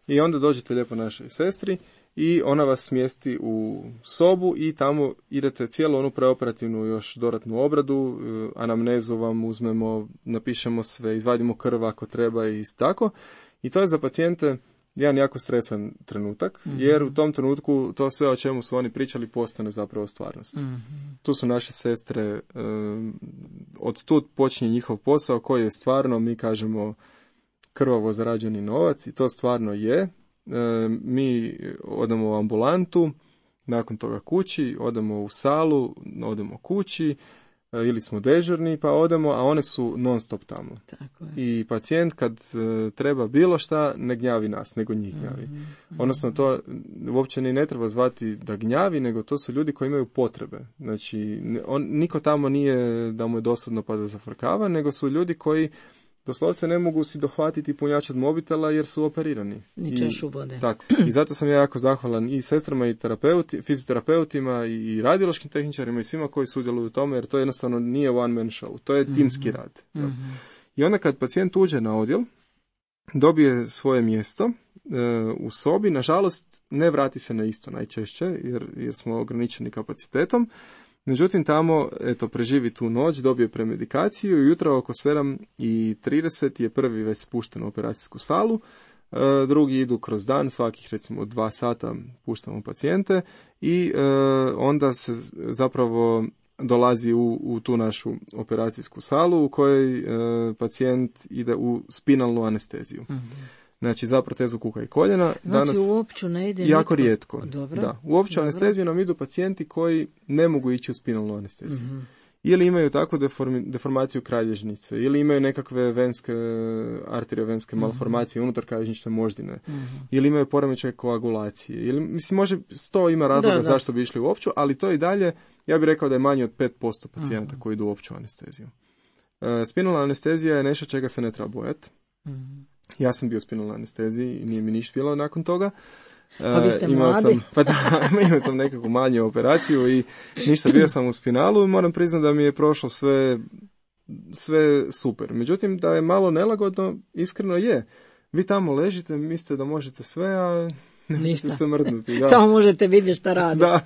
I onda dođete lijepo našoj sestri i ona vas smjesti u sobu i tamo idete cijelu onu preoperativnu još dodatnu obradu, anamnezu vam uzmemo, napišemo sve, izvadimo krv ako treba i tako. I to je za pacijente jedan jako stresan trenutak, mm-hmm. jer u tom trenutku to sve o čemu su oni pričali postane zapravo stvarnost. Mm-hmm. Tu su naše sestre, od tu počinje njihov posao koji je stvarno, mi kažemo, krvavo zarađeni novac i to stvarno je. Mi odemo u ambulantu, nakon toga kući, odemo u salu, odemo kući, ili smo dežurni pa odemo, a one su non stop tamo. Tako je. I pacijent kad e, treba bilo šta, ne gnjavi nas, nego njih gnjavi. Mm-hmm. Odnosno to uopće ni ne treba zvati da gnjavi, nego to su ljudi koji imaju potrebe. Znači, on, niko tamo nije da mu je dosadno pa da zafrkava, nego su ljudi koji doslovce ne mogu si dohvatiti punjač od mobitela jer su operirani. Ni češu vode. Tako. I zato sam ja jako zahvalan i sestrama i terapeuti, fizioterapeutima i radiološkim tehničarima i svima koji sudjeluju u tome, jer to jednostavno nije one man show. To je mm-hmm. timski rad. Mm-hmm. I onda kad pacijent uđe na odjel, dobije svoje mjesto e, u sobi, nažalost ne vrati se na isto najčešće jer, jer smo ograničeni kapacitetom. Međutim, tamo, eto, preživi tu noć, dobije premedikaciju i jutro oko sedam i trideset je prvi već spušten u operacijsku salu, e, drugi idu kroz dan, svakih recimo dva sata puštamo pacijente i e, onda se zapravo dolazi u, u tu našu operacijsku salu u kojoj e, pacijent ide u spinalnu anesteziju. Mm-hmm. Znači, za protezu kuka i koljena. Znači, danas u opću ne ide jako nitko. rijetko. Dobro. Da. U opću anesteziju nam idu pacijenti koji ne mogu ići u spinalnu anesteziju. Mm-hmm. Ili imaju takvu deformi, deformaciju kralježnice, ili imaju nekakve venske, arteriovenske mm-hmm. malformacije unutar kralježnične moždine, mm-hmm. ili imaju poremećaj koagulacije. Ili, mislim, može, sto ima razloga da, zašto bi išli u opću, ali to i dalje, ja bih rekao da je manje od pet posto pacijenata mm-hmm. koji idu u opću anesteziju. E, spinalna anestezija je nešto čega se ne treba bojati. Mm-hmm. Ja sam bio u spinalnoj anesteziji i nije mi ništa bilo nakon toga. Pa vi ste imao mladi. Sam, pa da, imao sam nekakvu manju operaciju i ništa, bio sam u spinalu i moram priznati da mi je prošlo sve, sve super. Međutim, da je malo nelagodno, iskreno je. Vi tamo ležite, mislite da možete sve, a ne možete se mrdnuti. Da. Samo možete vidjeti šta radi. Da,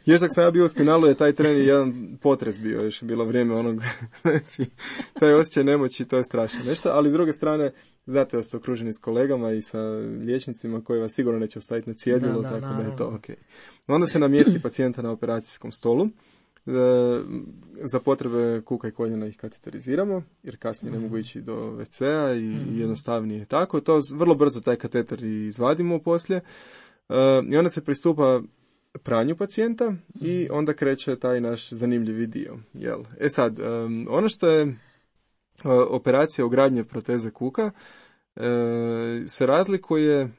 još dok sam ja bio u spinalu je taj tren jedan potres bio, još je bilo vrijeme onog, znači, taj osjećaj nemoći, to je strašno nešto, ali s druge strane, znate da ste okruženi s kolegama i sa liječnicima koji vas sigurno neće ostaviti na cjedilu, tako naravno. Da je to ok. Onda se namjesti pacijenta na operacijskom stolu, za potrebe kuka i koljena ih kateteriziramo, jer kasnije ne mogu ići do ve ce a i jednostavnije je tako. To vrlo brzo taj kateter izvadimo poslije i onda se pristupa pranju pacijenta i onda kreće taj naš zanimljivi dio. Jel? E sad, ono što je operacija ugradnje proteze kuka se razlikuje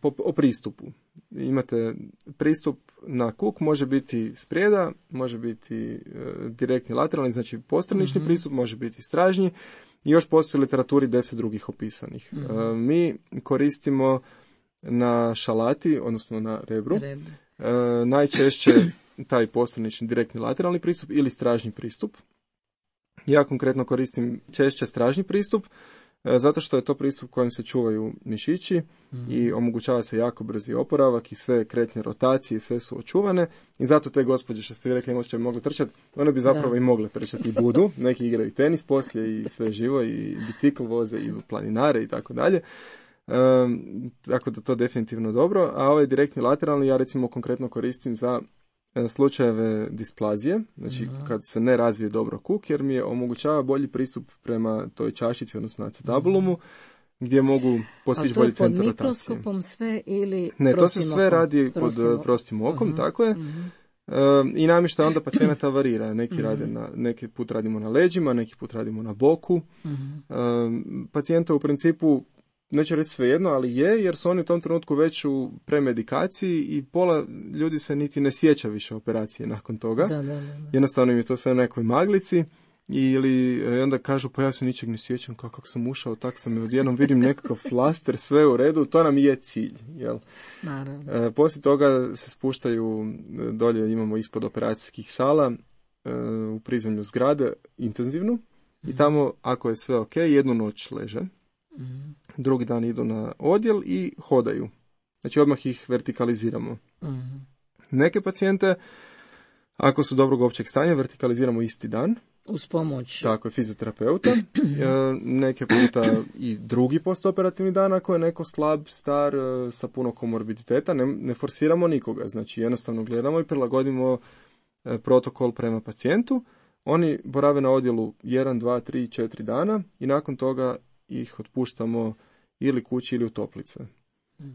po, o pristupu. Imate pristup na kuk, može biti sprijeda, može biti e, direktni lateralni, znači postranični mm-hmm. pristup, može biti stražnji i još postoji u literaturi deset drugih opisanih. Mm-hmm. E, mi koristimo na Šalati, odnosno na Rebru, e, najčešće taj postranični direktni lateralni pristup ili stražnji pristup. Ja konkretno koristim češće stražnji pristup, zato što je to pristup kojim se čuvaju mišići mm-hmm. i omogućava se jako brzi oporavak i sve kretnje rotacije, sve su očuvane i zato te gospođe što ste vi rekli možda bi mogle trčati, one bi zapravo da. I mogle trčati i budu, neki igraju tenis poslije i sve živo i bicikl voze i planinare i tako dalje. Um, tako da to definitivno dobro, a ovaj direktni lateralni ja recimo konkretno koristim za slučajeve displazije, znači uh-huh. kad se ne razvije dobro kuk, jer mi je omogućava bolji pristup prema toj čašici, odnosno acetabulumu, gdje mogu postići bolji centar rotacije. A to je pod mikroskopom sve ili Ne, to se sve okom? radi pod prostim okom, uh-huh. tako je. Uh-huh. E, I namještaj onda pacijenata varira. Neki, uh-huh. rade na, neki put radimo na leđima, neki put radimo na boku. Uh-huh. E, pacijenta u principu, neću reći svejedno, ali je, jer su oni u tom trenutku već u premedikaciji i pola ljudi se niti ne sjeća više operacije nakon toga. Da, da, da, da. Jednostavno im je to sve u nekoj maglici. Ili onda kažu, pa ja se ničeg ne sjećam, kako sam ušao, tak sam i odjednom vidim nekakav flaster, sve u redu, to nam je cilj. Jel? Naravno. E, poslije toga se spuštaju, dolje imamo ispod operacijskih sala, e, u prizemlju zgrade, intenzivnu, mm-hmm. i tamo, ako je sve ok, jednu noć leže, mm-hmm. drugi dan idu na odjel i hodaju. Znači odmah ih vertikaliziramo. Mm-hmm. Neke pacijente, ako su dobrog općeg stanja, vertikaliziramo isti dan. Uz pomoć. Tako je, fizioterapeuta. Neke puta i drugi postoperativni dan ako je neko slab, star, sa puno komorbiditeta. Ne, ne forsiramo nikoga. Znači jednostavno gledamo i prilagodimo protokol prema pacijentu. Oni borave na odjelu jedan, dva, tri, četiri dana i nakon toga ih otpuštamo ili kući ili u toplice.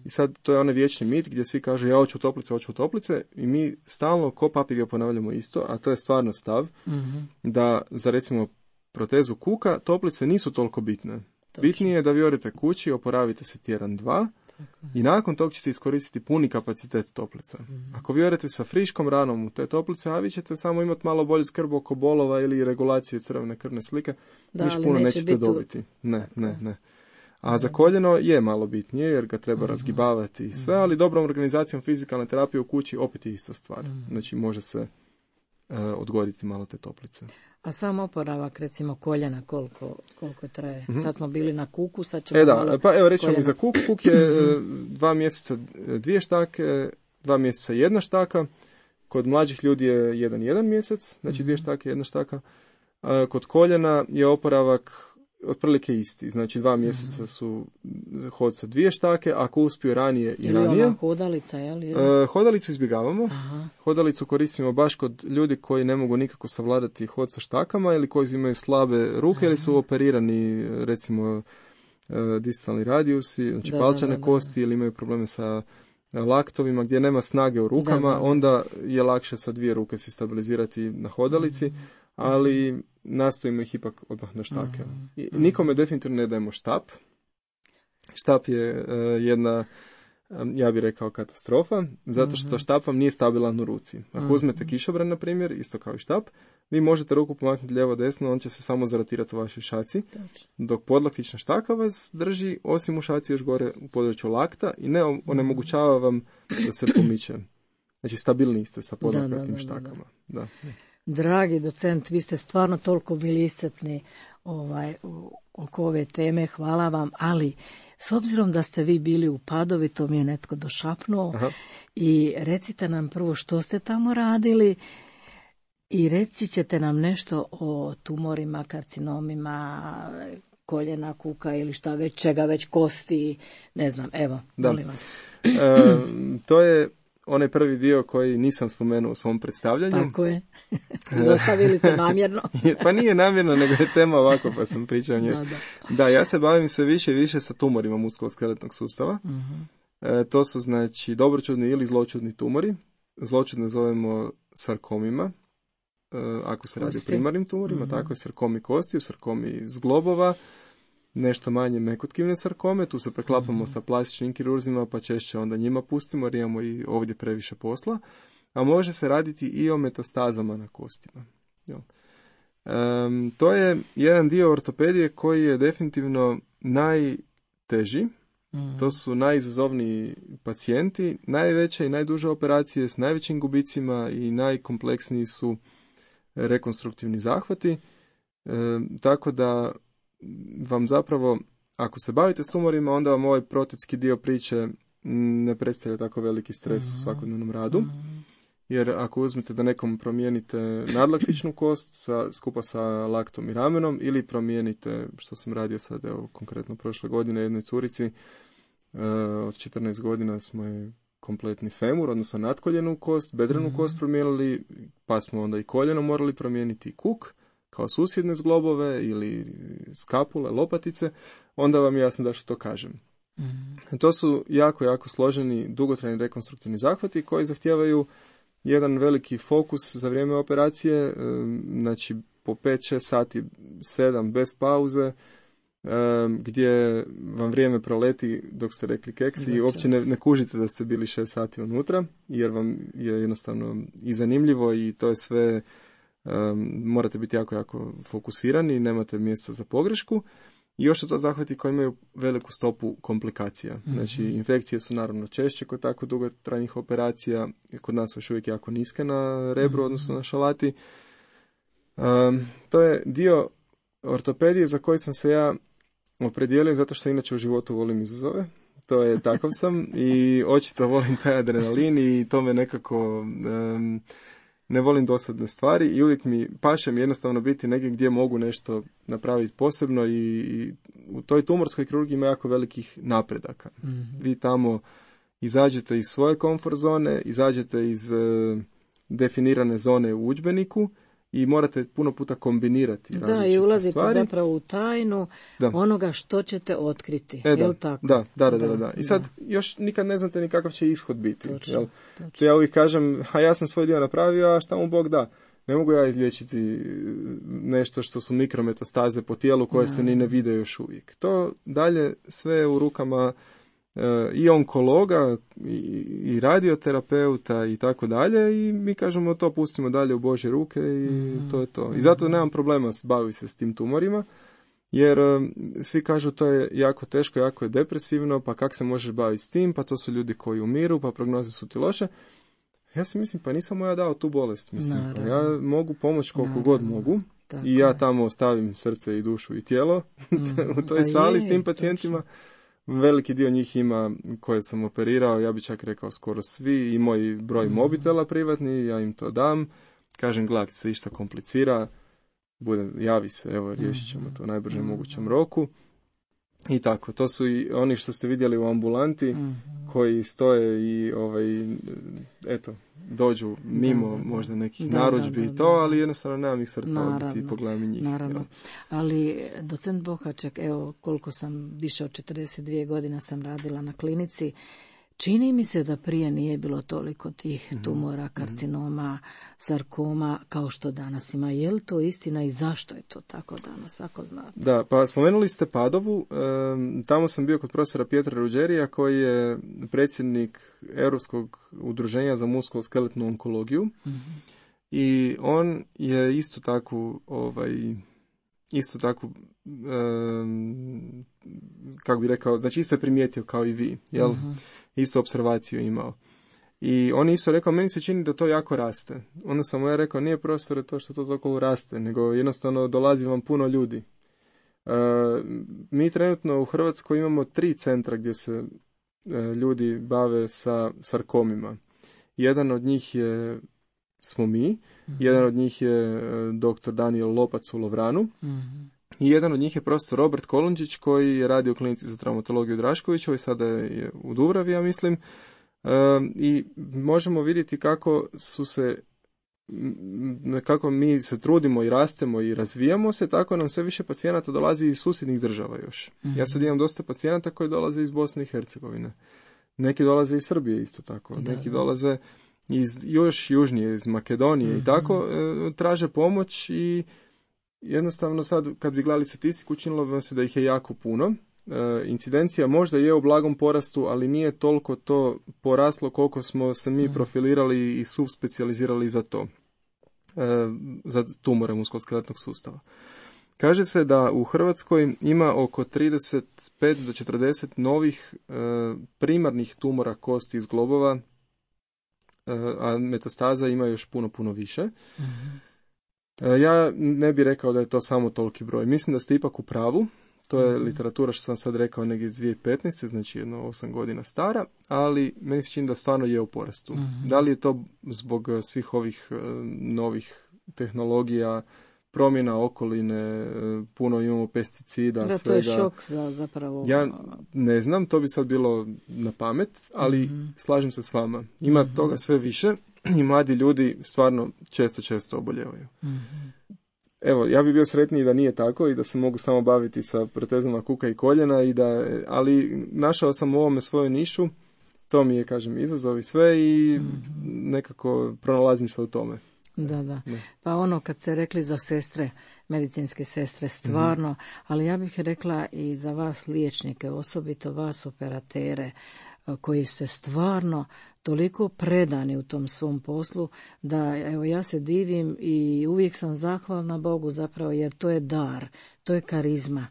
I sad to je onaj vječni mit gdje svi kažu ja hoću u toplice, hoću u toplice i mi stalno ko papir ponavljamo isto, a to je stvarno stav, mm-hmm. da za recimo protezu kuka toplice nisu toliko bitne. Točno. Bitnije je da vi odete kući, oporavite se tjedan, dva i nakon tog ćete iskoristiti puni kapacitet toplica. Mm-hmm. Ako vi odete sa friškom ranom u te toplice, a vi ćete samo imati malo bolju skrb oko bolova ili regulacije crvene krvne slike, da, niš puno nećete dobiti. Ne, ne, ne. A za koljeno je malo bitnije jer ga treba uh-huh. razgibavati i sve, ali dobrom organizacijom fizikalne terapije u kući opet je ista stvar. Uh-huh. Znači može se uh, odgoditi malo te toplice. A sam oporavak recimo koljena koliko, koliko traje? Uh-huh. Sad smo bili na kuku, sad ćemo e da, malo pa evo rećemo mi za kuk. Kuk je uh, dva mjeseca dvije štake, dva mjeseca jedna štaka. Kod mlađih ljudi je jedan jedan mjesec, znači uh-huh. dvije štake, jedna štaka. Uh, kod koljena je oporavak otprilike isti, znači dva mjeseca su hod sa dvije štake, ako uspiju ranije i ili ranije. Ona hodalica, je li? E, hodalicu izbjegavamo. Aha. Hodalicu koristimo baš kod ljudi koji ne mogu nikako savladati hod sa štakama ili koji imaju slabe ruke. Aha. Ili su operirani, recimo, distalni radijusi, znači da, palčane da, da, kosti, da. Ili imaju probleme sa laktovima gdje nema snage u rukama, da, da, da. Onda je lakše sa dvije ruke se stabilizirati na hodalici. Mm. Ali nastojimo ih ipak odmah na štake. Mm-hmm. I nikome definitivno ne dajemo štap. Štap je uh, jedna, um, ja bih rekao, katastrofa, zato što mm-hmm. štap vam nije stabilan u ruci. Ako mm-hmm. uzmete kišobran, na primjer, isto kao i štap, vi možete ruku pomaknuti lijevo desno, on će se samo zarotirati u vašoj šaci, dok podlaktična štaka vas drži, osim u šaci još gore u području lakta i ne onemogućava vam da se pomiče. Znači, stabilni ste sa podlaktičnim štakama. Da, da, da. Dragi docent, vi ste stvarno toliko bili iscrpni ovaj, oko ove teme, hvala vam, ali s obzirom da ste vi bili u Padovi, to mi je netko došapnuo. Aha. I recite nam prvo što ste tamo radili i reći ćete nam nešto o tumorima, karcinomima, koljena, kuka ili šta već, čega već, kosti, ne znam, evo, da. Molim vas. E, to je onaj prvi dio koji nisam spomenuo u svom predstavljanju. Tako je. Zostavili ste namjerno. Pa nije namjerno, nego je tema ovako, pa sam pričao o njoj. Da, da. Da, ja se bavim sve više i više sa tumorima muskuloskeletnog sustava. Uh-huh. E, to su, znači, dobročudni ili zločudni tumori. Zločudne zovemo sarkomima, e, ako se radi o primarnim tumorima, uh-huh. tako je sarkomi kostiju, sarkomi zglobova, nešto manje mekotkivne sarkome, tu se preklapamo mm-hmm. sa plastičnim kirurzima, pa češće onda njima pustimo jer imamo i ovdje previše posla, a može se raditi i o metastazama na kostima. Um, to je jedan dio ortopedije koji je definitivno najteži, mm-hmm. to su najizazovniji pacijenti, najveće i najduže operacije s najvećim gubicima i najkompleksniji su rekonstruktivni zahvati, um, tako da vam zapravo, ako se bavite s tumorima, onda vam ovaj protetski dio priče ne predstavlja tako veliki stres mm-hmm. u svakodnevnom radu. Mm-hmm. Jer ako uzmete da nekom promijenite nadlaktičnu kost sa, skupa sa laktom i ramenom ili promijenite, što sam radio sad, evo, konkretno prošle godine jednoj curici, uh, od četrnaest godina smo je kompletni femur, odnosno natkoljenu kost, bedrenu mm-hmm. kost promijenili, pa smo onda i koljeno morali promijeniti, kuk, kao susjedne zglobove ili skapule, lopatice, onda vam je jasno zašto to kažem. Mm-hmm. To su jako, jako složeni, dugotrajni rekonstruktivni zahvati koji zahtijevaju jedan veliki fokus za vrijeme operacije, znači po pet šest sati, sedam bez pauze, gdje vam vrijeme proleti dok ste rekli keksi i uopće ne, ne kužite da ste bili šest sati unutra, jer vam je jednostavno i zanimljivo i to je sve, um, morate biti jako, jako fokusirani, nemate mjesta za pogrešku. I još su to zahvati koji imaju veliku stopu komplikacija. Mm-hmm. Znači, infekcije su naravno češće kod tako dugotrajnih operacija, kod nas još uvijek jako niske na rebru, mm-hmm. odnosno na šalati. Um, to je dio ortopedije za koji sam se ja opredijelio zato što inače u životu volim izazove. To je takav sam i očito volim taj adrenalin i to me nekako um, ne volim dosadne stvari i uvijek mi pašem jednostavno biti negdje gdje mogu nešto napraviti posebno i, i u toj tumorskoj kirurgiji ima jako velikih napredaka. Mm-hmm. Vi tamo izađete iz svoje komfort zone, izađete iz uh, definirane zone u udžbeniku i morate puno puta kombinirati. Da, i ulazite stvari. Zapravo u tajnu da. Onoga što ćete otkriti. E, da. Jel tako? Da, da, da, da, da. I sad da. Još nikad ne znate ni kakav će ishod biti. Točno, jel? Točno. Ja uvijek kažem, a ja sam svoj dio napravio, a šta mu Bog da? Ne mogu ja izliječiti nešto što su mikrometastaze po tijelu koje da. Se ni ne vide još uvijek. To dalje sve u rukama i onkologa i, i radioterapeuta i tako dalje i mi kažemo to pustimo dalje u Božje ruke i mm. to je to. I zato nemam problema baviti se s tim tumorima jer um, svi kažu to je jako teško, jako je depresivno, pa kak se možeš baviti s tim, pa to su ljudi koji umiru, pa prognoze su ti loše. Ja si mislim, pa nisam ja dao tu bolest, mislim, pa ja mogu pomoći koliko Naravno. God mogu tako i ja tamo ostavim srce i dušu i tijelo mm. u toj pa sali je, s tim pacijentima. Točno. Veliki dio njih ima koje sam operirao, ja bih čak rekao skoro svi, i moj broj mm. mobitela privatni, ja im to dam, kažem gledaj se išta komplicira, bude, javi se, evo riješit ćemo to u najbržem mm. mogućem roku. I tako, to su i oni što ste vidjeli u ambulanti mm. koji stoje i ovaj, eto, dođu mimo da, da, možda nekih da, narudžbi i to, ali jednostavno nemam ih srca odbiti i pogledam i njih. Naravno, ali docent Bohaček, evo koliko sam, više od četrdeset dvije godine sam radila na klinici, čini mi se da prije nije bilo toliko tih tumora, karcinoma, sarkoma kao što danas ima. Je li to istina i zašto je to tako danas, ako znate? Da, pa spomenuli ste Padovu. E, tamo sam bio kod profesora Pietra Ruđerija koji je predsjednik Europskog udruženja za muskuloskeletnu onkologiju. Mm-hmm. I on je isto tako ovaj, isto tako um, kako bi rekao, znači isto je primijetio kao i vi, jel? Mm-hmm. Isto observaciju imao. I on isto rekao, meni se čini da to jako raste. Onda sam mu ja rekao, nije profesore to što to toliko raste, nego jednostavno dolazi vam puno ljudi. Uh, mi trenutno u Hrvatskoj imamo tri centra gdje se uh, ljudi bave sa sarkomima. Jedan od njih je, smo mi, mm-hmm. jedan od njih je uh, doktor Daniel Lopac u Lovranu, mm-hmm. i jedan od njih je profesor Robert Kolundžić koji je radio u klinici za traumatologiju u Draškovićevoj, sada je u Dubravi, ja mislim. E, I možemo vidjeti kako su se, kako mi se trudimo i rastemo i razvijamo se, tako nam sve više pacijenata dolazi iz susjednih država još. Mm-hmm. Ja sad imam dosta pacijenata koji dolaze iz Bosne i Hercegovine. Neki dolaze iz Srbije isto tako. Da, neki da. dolaze iz još južnije, iz Makedonije mm-hmm. i tako e, traže pomoć i jednostavno sad kad bi gledali statistiku učinilo bi vam se da ih je jako puno. E, incidencija možda je u blagom porastu, ali nije toliko to poraslo koliko smo se mi profilirali i subspecijalizirali za to, e, za tumore muskuloskeletnog sustava. Kaže se da u Hrvatskoj ima oko trideset pet do četrdeset novih e, primarnih tumora kosti iz globova, e, a metastaza ima još puno, puno više. Mm-hmm. Ja ne bih rekao da je to samo toliki broj. Mislim da ste ipak u pravu. To je literatura što sam sad rekao negdje iz dvije tisuće petnaeste. Znači jedno osam godina stara, ali meni se čini da stvarno je u porastu. Mm-hmm. Da li je to zbog svih ovih uh, novih tehnologija, promjena okoline, puno imamo pesticida, da, svega. To je šok za, zapravo. Ja ne znam, to bi sad bilo na pamet, ali mm-hmm. slažem se s vama. Ima mm-hmm. toga sve više i mladi ljudi stvarno često, često oboljevaju. Mm-hmm. Evo, ja bih bio sretniji da nije tako i da se mogu samo baviti sa protezama kuka i koljena, i da, ali našao sam u ovome svoju nišu, to mi je, kažem, izazov i sve i mm-hmm. nekako pronalazim se u tome. Da, da. Ne. Pa ono kad ste rekli za sestre, medicinske sestre, stvarno, mm-hmm. ali ja bih rekla i za vas liječnike, osobito vas operatere, koji ste stvarno toliko predani u tom svom poslu, da evo ja se divim i uvijek sam zahvalna Bogu zapravo, jer to je dar, to je karizma,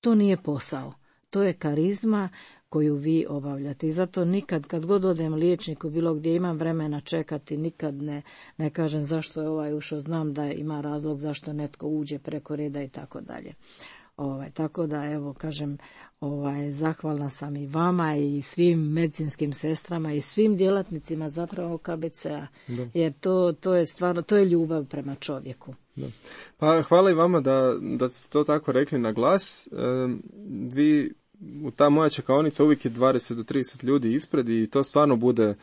to nije posao, to je karizma koju vi obavljate. I zato nikad, kad god odem liječniku, bilo gdje imam vremena čekati, nikad ne, ne kažem zašto je ovaj ušao, znam da ima razlog zašto netko uđe preko reda i tako dalje. Ovaj, tako da, evo, kažem, ovaj, zahvalna sam i vama i svim medicinskim sestrama i svim djelatnicima zapravo K B C-a, da. Jer to, to je stvarno, to je ljubav prema čovjeku. Da. Pa hvala i vama da, da ste to tako rekli na glas. E, vi, ta moja čekaonica uvijek je dvadeset do trideset ljudi ispred i to stvarno bude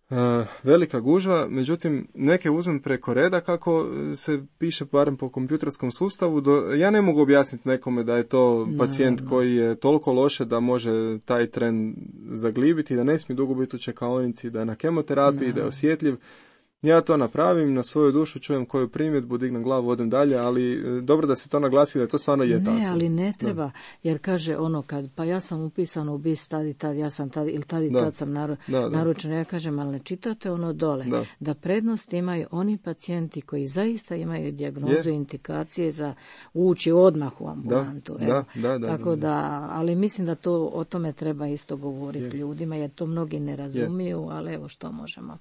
Uh, velika gužva, međutim neke uzmem preko reda kako se piše barem po kompjuterskom sustavu. Do, ja ne mogu objasniti nekome da je to pacijent no, no. koji je toliko loše da može taj tren zaglibiti, da ne smije dugo biti u čekaonici, da je na kemoterapiji, no. da je osjetljiv. Ja to napravim, na svoju dušu čujem koju primjedbu, dignem glavu, odem dalje, ali dobro da se to naglasi da to stvarno je ne, tako. Ne, ali ne treba, da. Jer kaže ono kad, pa ja sam upisan u bis tad i tad, ja sam tad, ili tad i da. tad sam naru, da, da. naručen, ja kažem, ali ne čitate ono dole, da, da prednost imaju oni pacijenti koji zaista imaju dijagnozu i indikacije za ući odmah u ambulantu. Da, da, da, da, tako da, da, ali mislim da to o tome treba isto govoriti je. ljudima, jer to mnogi ne razumiju, je. ali evo što možemo.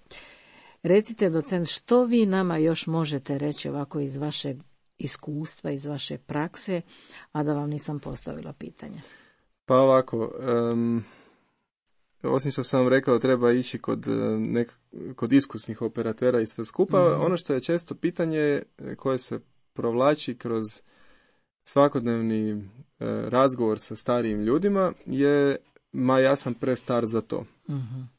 Recite, docent, što vi nama još možete reći ovako iz vašeg iskustva, iz vaše prakse, a da vam nisam postavila pitanje? Pa ovako, um, osim što sam vam rekao, treba ići kod, nek, kod iskusnih operatera i sve skupa. Mm-hmm. Ono što je često pitanje koje se provlači kroz svakodnevni uh, razgovor sa starijim ljudima je, ma ja sam prestar za to. Mm-hmm.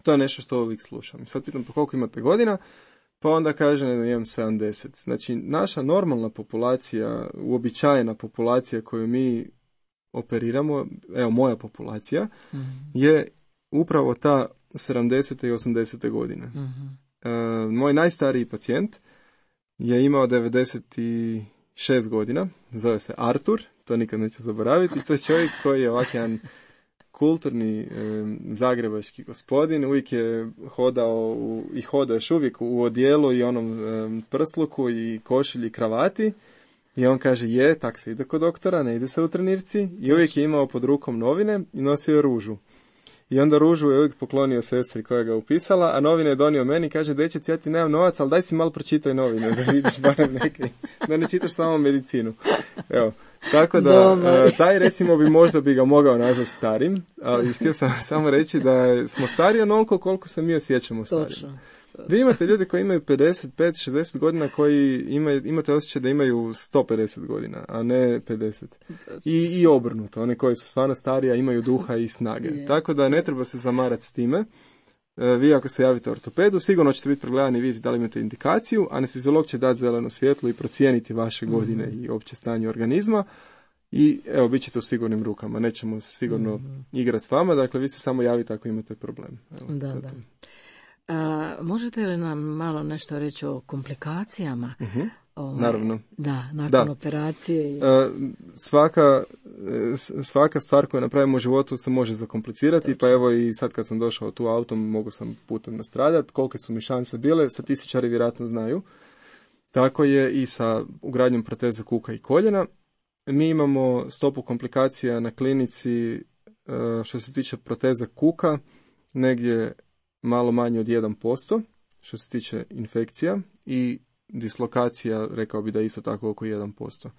To je nešto što uvijek slušam. Sad pitam pa koliko imate godina, pa onda kaže da imam sedamdeset. Znači, naša normalna populacija, uobičajena populacija koju mi operiramo, evo moja populacija, mm-hmm. je upravo ta sedamdesete i osamdesete godine. Mm-hmm. E, moj najstariji pacijent je imao devedeset šest godina, zove se Artur, to nikad neću zaboraviti, to je čovjek koji je ovak jedan kulturni e, zagrebački gospodin, uvijek je hodao u, i hoda još uvijek u odijelu i onom e, prsluku i košulji i kravati i on kaže je, tak se ide kod doktora, ne ide se u trenirci i uvijek je imao pod rukom novine i nosio je ružu. I onda ružu je uvijek poklonio sestri koja ga upisala, a novine je donio meni i kaže, dečec, ja ti nemam novac, ali daj si malo pročitaj novine, da vidiš barem neke, da ne čitaš samo medicinu. Evo, tako da, uh, taj recimo bi možda bi ga mogao nazvati starim, ali htio sam samo reći da smo stariji onoliko koliko se mi osjećamo starim. Točno. Vi imate ljudi koji imaju pedeset pet šezdeset godina koji imaju, imate osjećaj da imaju sto pedeset godina, a ne pedeset. I, i obrnuto, oni koji su stvarno stariji, imaju duha i snage. Yeah. Tako da ne treba se zamarati s time. E, vi ako se javite ortopedu, sigurno ćete biti pregledani i vidjeti da li imate indikaciju, anesteziolog će dati zeleno svjetlo i procijeniti vaše godine mm-hmm. i opće stanje organizma. I evo, bit ćete u sigurnim rukama, nećemo se sigurno mm-hmm. igrati s vama, dakle vi se samo javite ako imate problem. Evo, da, da. A, možete li nam malo nešto reći o komplikacijama? Uh-huh. Ovaj, Naravno. Da, nakon da. operacije. I... A, svaka, svaka stvar koju napravimo u životu se može zakomplicirati, Točno. Pa evo i sad kad sam došao tu autom mogu sam putem nastradati. Kolike su mi šanse bile, statističari vjerojatno znaju. Tako je i sa ugradnjom proteze kuka i koljena. Mi imamo stopu komplikacija na klinici što se tiče proteze kuka, negdje malo manje od jedan posto što se tiče infekcija i dislokacija, rekao bi da je isto tako oko jedan posto.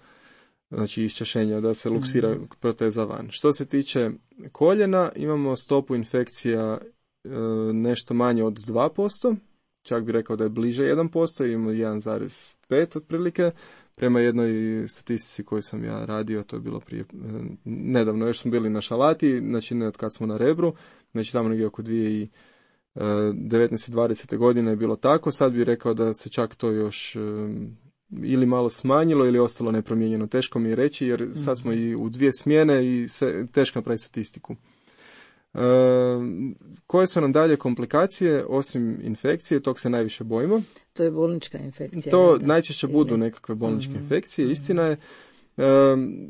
Znači iščašenja, da se luksira mm. proteza van. Što se tiče koljena, imamo stopu infekcija e, nešto manje od dva posto čak bi rekao da je bliže jedan posto, ima jedan zarez pet otprilike. Prema jednoj statistici koju sam ja radio, to je bilo prije, nedavno, još smo bili na Šalati, znači ne od kad smo na Rebru, znači tamo negdje oko dvije tisuće devetnaeste dvadesete godine je bilo tako, sad bih rekao da se čak to još ili malo smanjilo ili ostalo nepromijenjeno. Teško mi je reći jer sad smo i u dvije smjene i sve, teško napraviti statistiku. E, koje su nam dalje komplikacije osim infekcije, tog se najviše bojimo. To je bolnička infekcija. To da. Najčešće budu nekakve bolničke mm-hmm. infekcije. Mm-hmm. Istina je, e,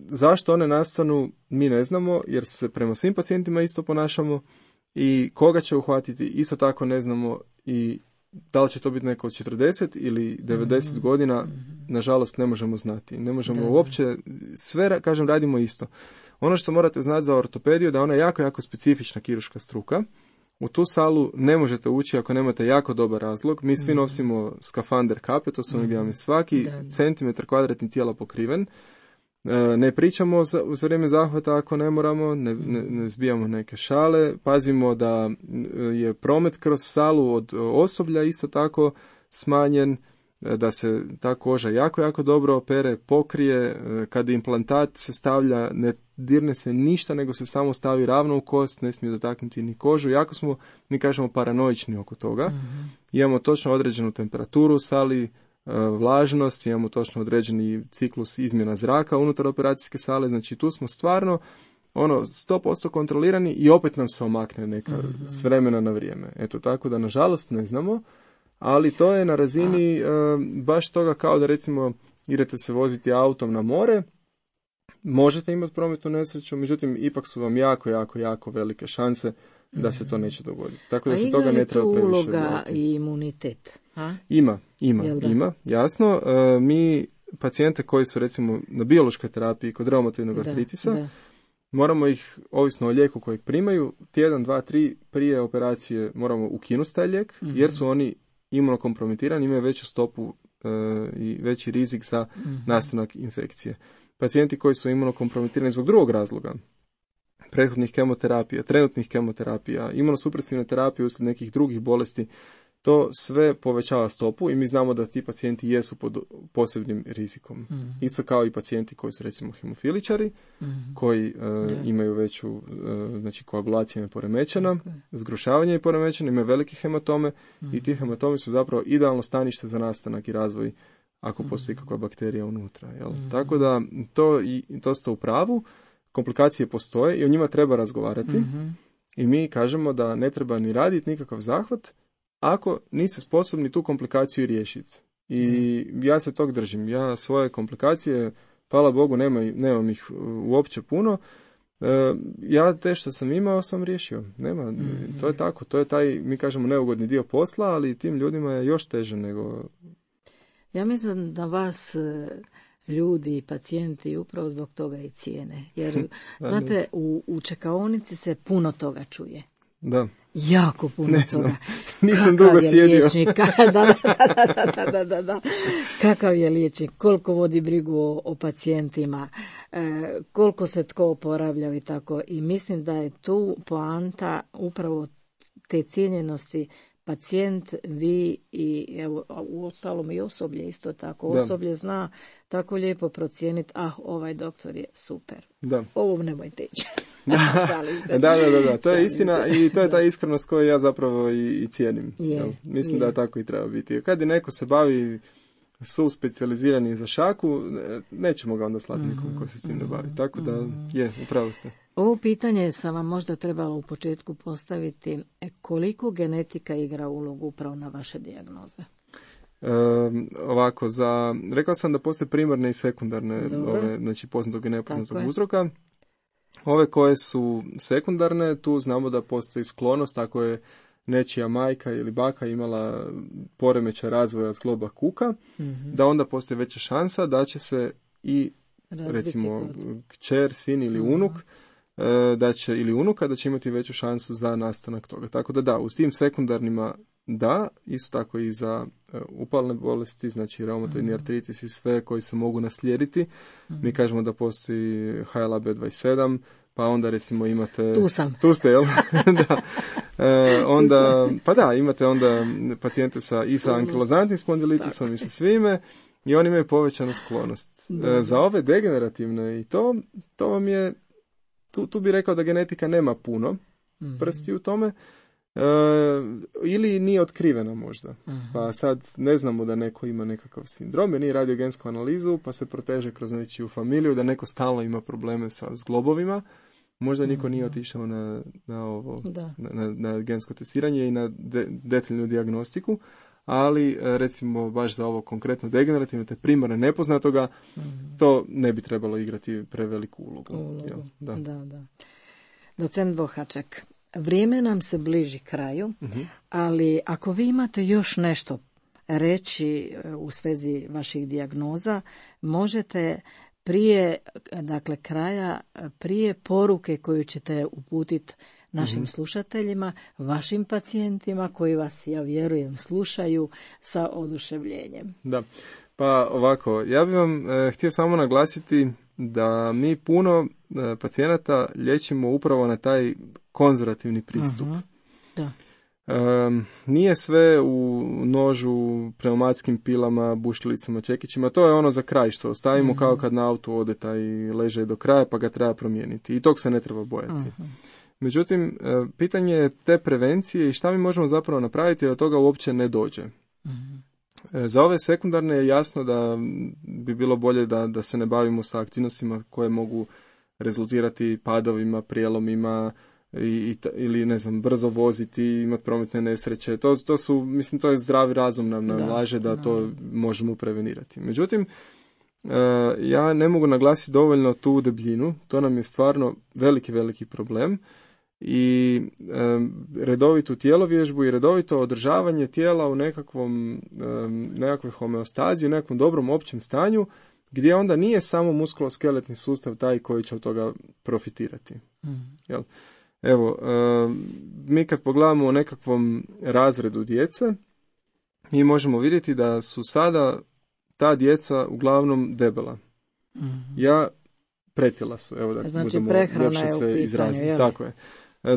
zašto one nastanu mi ne znamo jer se prema svim pacijentima isto ponašamo i koga će uhvatiti isto tako ne znamo i da li će to biti neko od četrdeset ili devedeset mm-hmm. godina, nažalost ne možemo znati. Ne možemo da. uopće, sve, kažem, radimo isto. Ono što morate znati za ortopediju da ona je jako, jako specifična kirurška struka. U tu salu ne možete ući ako nemate jako dobar razlog. Mi svi nosimo skafander kape, to su ono gdje vam je svaki da. centimetar kvadratni tijela pokriven. Ne pričamo za, za vrijeme zahvata ako ne moramo, ne, ne, ne zbijamo neke šale, pazimo da je promet kroz salu od osoblja isto tako smanjen, da se ta koža jako, jako dobro opere, pokrije, kada implantat se stavlja, ne dirne se ništa, nego se samo stavi ravno u kost, ne smije dotaknuti ni kožu. Jako smo, mi kažemo, paranoični oko toga. Mm-hmm. Imamo točno određenu temperaturu u sali, vlažnost, imamo točno određeni ciklus izmjena zraka unutar operacijske sale, znači tu smo stvarno ono sto posto kontrolirani i opet nam se omakne neka mm-hmm. s vremena na vrijeme. Eto, tako da nažalost ne znamo, ali to je na razini uh, baš toga kao da recimo idete se voziti autom na more, možete imati prometnu nesreću, međutim ipak su vam jako, jako, jako velike šanse da se to neće dogoditi. Tako da se toga ne treba previše odvojiti. A ima li tu uloga i imunitet? A? Ima, ima, ima, jasno. E, mi pacijente koji su recimo na biološkoj terapiji kod reumatoidnog artritisa, da. moramo ih, ovisno o lijeku kojeg primaju, tjedan, dva, tri prije operacije moramo ukinuti taj lijek, mm-hmm. jer su oni imunokompromitirani, imaju veću stopu e, i veći rizik za mm-hmm. nastanak infekcije. Pacijenti koji su imunokompromitirani zbog drugog razloga, prethodnih kemoterapija, trenutnih kemoterapija, imunosupresivne terapije uslijed nekih drugih bolesti, to sve povećava stopu i mi znamo da ti pacijenti jesu pod posebnim rizikom. Mm-hmm. Isto kao i pacijenti koji su recimo hemofiličari, mm-hmm. koji uh, yeah. imaju veću, uh, znači koagulacija je poremećena, okay. zgrušavanje je poremećeno, imaju velike hematome mm-hmm. i ti hematome su zapravo idealno stanište za nastanak i razvoj ako mm-hmm. postoji kakva bakterija unutra. Jel? Mm-hmm. Tako da to, i, to ste u pravu, komplikacije postoje i o njima treba razgovarati mm-hmm. i mi kažemo da ne treba ni raditi nikakav zahvat ako niste sposobni tu komplikaciju riješiti. I mm. ja se tog držim. Ja svoje komplikacije, hvala Bogu, nema, nemam ih uopće puno. E, ja te što sam imao sam riješio. Nema, mm. to je tako. To je taj, mi kažemo, neugodni dio posla, ali tim ljudima je još teže nego... Ja mislim da vas ljudi i pacijenti upravo zbog toga i cijene. Jer, znate, u, u čekaonici se puno toga čuje. Da. Jako puno ne toga. Nisam Kakav dugo sjedio. Liječnik, da, da, da, da, da, da. Kakav je liječnik, koliko vodi brigu o, o pacijentima, e, koliko se tko oporavljao i tako. I mislim da je tu poanta upravo te cijenjenosti. Pacijent, vi i evo, u ostalom i osoblje isto tako. Da. Osoblje zna tako lijepo procijeniti, ah, ovaj doktor je super. Da. Ovo nemojte ići. da, da, da, da, to je istina i to je ta iskrenost koju ja zapravo i, i cijenim. Je, Mislim je. da tako i treba biti. Kad je neko se bavi su specijalizirani za šaku, nećemo ga onda slati nikom ko se s tim ne bavi. Tako da, je, upravo ste. Ovo pitanje sam vam možda trebala u početku postaviti. Koliko genetika igra ulogu upravo na vaše dijagnoze? E, ovako, za, rekao sam da postoje primarne i sekundarne, ove, znači poznatog i nepoznatog uzroka. Ove koje su sekundarne, tu znamo da postoji sklonost, ako je nečija majka ili baka imala poremećaj razvoja zgloba kuka, mm-hmm. da onda postoji veća šansa da će se i razviti recimo kod. kćer, sin ili uh-huh. unuk, da će, ili unuka, da će imati veću šansu za nastanak toga. Tako da da, u tim sekundarnima da, isto tako i za upalne bolesti, znači reumatoidni uh-huh. artritis i sve koji se mogu naslijediti. Uh-huh. Mi kažemo da postoji H L A B dvadeset sedam, pa onda recimo imate... Tu sam. Tu ste, jel? Da. E, onda, pa da, imate onda pacijente sa, i sa ankilozantnim spondilitisom i sa svime i oni imaju povećanu sklonost. E, za ove degenerativne i to, to vam je, tu, tu bi rekao da genetika nema puno prsti u tome, e, ili nije otkrivena možda. Uh-huh. Pa sad ne znamo da neko ima nekakav sindrom, jer nije radio gensku analizu, pa se proteže kroz nečiju familiju, da neko stalno ima probleme sa zglobovima. Možda niko uh-huh. nije otišao na, na, ovo, na, na, na gensko testiranje i na de, detaljnu dijagnostiku, ali recimo baš za ovo konkretno degenerativno te primarne nepoznatoga, uh-huh. to ne bi trebalo igrati preveliku ulogu. ulogu. Jel? Da. Da, da. Docent Bohaček, vrijeme nam se bliži kraju, uh-huh. ali ako vi imate još nešto reći u svezi vaših dijagnoza, možete prije, dakle, kraja, prije poruke koju ćete uputiti našim uh-huh. slušateljima, vašim pacijentima koji vas, ja vjerujem, slušaju sa oduševljenjem. Da, pa ovako, ja bih vam e, htio samo naglasiti da mi puno e, pacijenata liječimo upravo na taj konzervativni pristup. Uh-huh. Da. E, nije sve u nožu, pneumatskim pilama, bušilicama, čekićima. To je ono za kraj što ostavimo uh-huh. kao kad na autu ode taj leže do kraja pa ga treba promijeniti. I tog se ne treba bojati. Uh-huh. Međutim, e, pitanje je te prevencije i šta mi možemo zapravo napraviti da toga uopće ne dođe. Uh-huh. Za ove sekundarne je jasno da bi bilo bolje da, da se ne bavimo sa aktivnostima koje mogu rezultirati padovima, prijelomima i, i, ili ne znam, brzo voziti, imati prometne nesreće. To, to su, mislim, to je zdravi razum nam nalaže da, da to možemo prevenirati. Međutim, ja ne mogu naglasiti dovoljno tu debljinu. To nam je stvarno veliki, veliki problem. I e, redovitu tjelovježbu i redovito održavanje tijela u nekakvom, e, nekakvoj homeostazi, u nekakvom dobrom općem stanju, gdje onda nije samo muskuloskeletni sustav taj koji će od toga profitirati. Mm. Jel? Evo, e, mi kad pogledamo u nekakvom razredu djece, mi možemo vidjeti da su sada ta djeca uglavnom debela. Mm. Ja pretila su, evo da znači, možemo ljepše se izraziti. Tako je.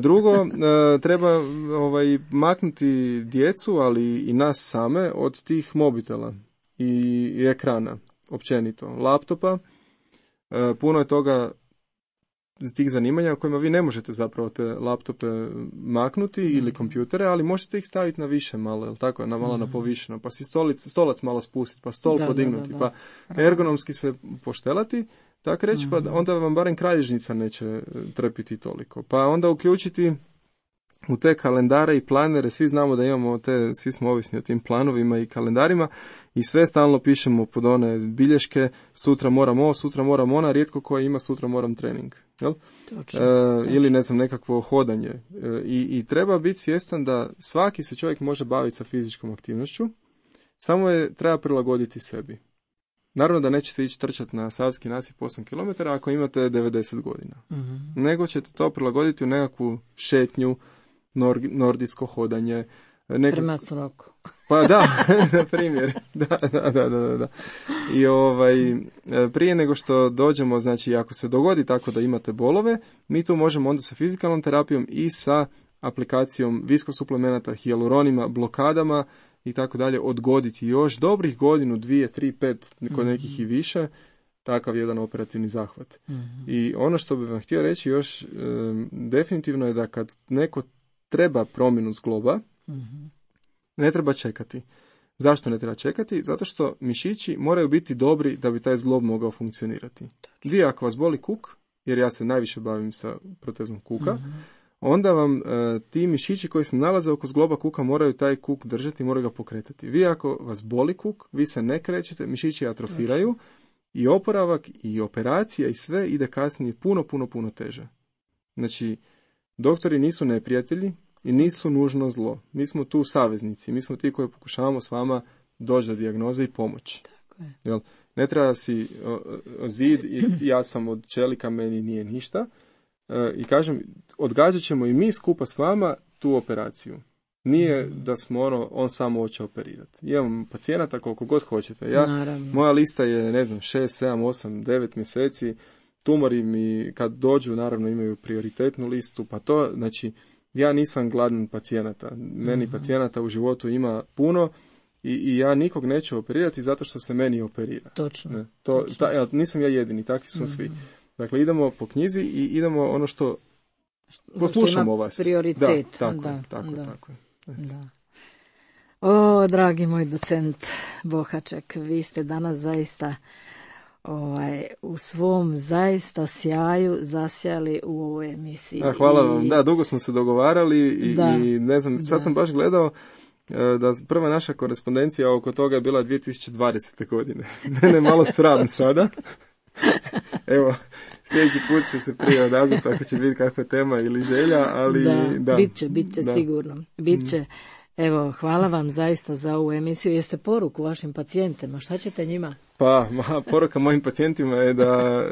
Drugo, treba ovaj, maknuti djecu, ali i nas same od tih mobitela i, i ekrana, općenito, laptopa. Puno je toga tih zanimanja u kojima vi ne možete zapravo te laptope maknuti mm. ili kompjutere, ali možete ih staviti na više malo, jel tako, na malo mm. na povišeno, pa si stolic, stolac malo spustiti, pa stol da, podignuti, da, da, da. pa ergonomski se poštelati, tako reći, mm-hmm. pa onda vam barem kralježnica neće trpiti toliko. Pa onda uključiti u te kalendare i planere, svi znamo da imamo te, svi smo ovisni o tim planovima i kalendarima i sve stalno pišemo pod one bilješke, sutra moram ovo, sutra moram ona, rijetko koja ima sutra moram trening. Jel? Točno, e, točno. Ili ne znam, nekakvo hodanje. E, i, I treba biti svjestan da svaki se čovjek može baviti sa fizičkom aktivnošću, samo je treba prilagoditi sebi. Naravno da nećete ići trčati na savski nasip osam kilometara ako imate devedeset godina. Mm-hmm. Nego ćete to prilagoditi u nekakvu šetnju, nor- nordijsko hodanje. Nekak... Prema sroku. Pa da, na primjer. Da, da, da, da, da. I ovaj, prije nego što dođemo, znači ako se dogodi tako da imate bolove, mi tu možemo onda sa fizikalnom terapijom i sa aplikacijom viskosuplemenata, hijaluronima, blokadama i tako dalje, odgoditi još dobrih godinu, dvije, tri, pet, kod nekih i više, takav jedan operativni zahvat. Mm-hmm. I ono što bih vam htio reći još, e, definitivno je da kad neko treba promjenu zgloba, mm-hmm. ne treba čekati. Zašto ne treba čekati? Zato što mišići moraju biti dobri da bi taj zglob mogao funkcionirati. Vi ako vas boli kuk, jer ja se najviše bavim sa protezom kuka, mm-hmm. onda vam e, ti mišići koji se nalaze oko zgloba kuka moraju taj kuk držati i moraju ga pokretati. Vi ako vas boli kuk, vi se ne krećete, mišići atrofiraju znači. I oporavak i operacija i sve ide kasnije puno, puno, puno teže. Znači, doktori nisu neprijatelji i nisu nužno zlo. Mi smo tu saveznici, mi smo ti koji pokušavamo s vama doći do dijagnoze i pomoći. Tako je. Jel? Ne treba si o, o, zid i ja sam od čelika, meni nije ništa. E, I kažem, odgađat ćemo i mi skupa s vama tu operaciju. Nije da smo ono, on samo hoće operirati. Imam pacijenata koliko god hoćete. Ja, moja lista je, ne znam, šest, sedam, osam, devet mjeseci. tumori mi kad dođu naravno imaju prioritetnu listu, pa to, znači ja nisam gladan pacijenata. Meni mm-hmm. pacijenata u životu ima puno i, i ja nikog neću operirati zato što se meni operira. Točno. Ne, to, Točno. Ta, ja, nisam ja jedini, takvi smo mm-hmm. svi. Dakle, idemo po knjizi i idemo ono što poslušamo vas. Prioritet. Da, tako, da, tako, da. tako. Da. O, dragi moj docent Bohaček, vi ste danas zaista ovaj, u svom zaista sjaju zasjali u ovoj emisiji. A, hvala vam. I... Da, dugo smo se dogovarali i, da, i ne znam, sad da. sam baš gledao da prva naša korespondencija oko toga je bila dvije tisuće dvadesete. godine. Mene malo sram sada. Evo, sljedeći put će se prije odazvati ako će biti kakva tema ili želja, ali da, da. bit će, bit će da. sigurno. Bit će. Evo, hvala vam zaista za ovu emisiju. Jeste poruku vašim pacijentima? Šta ćete njima? Pa, ma, poruka mojim pacijentima je da,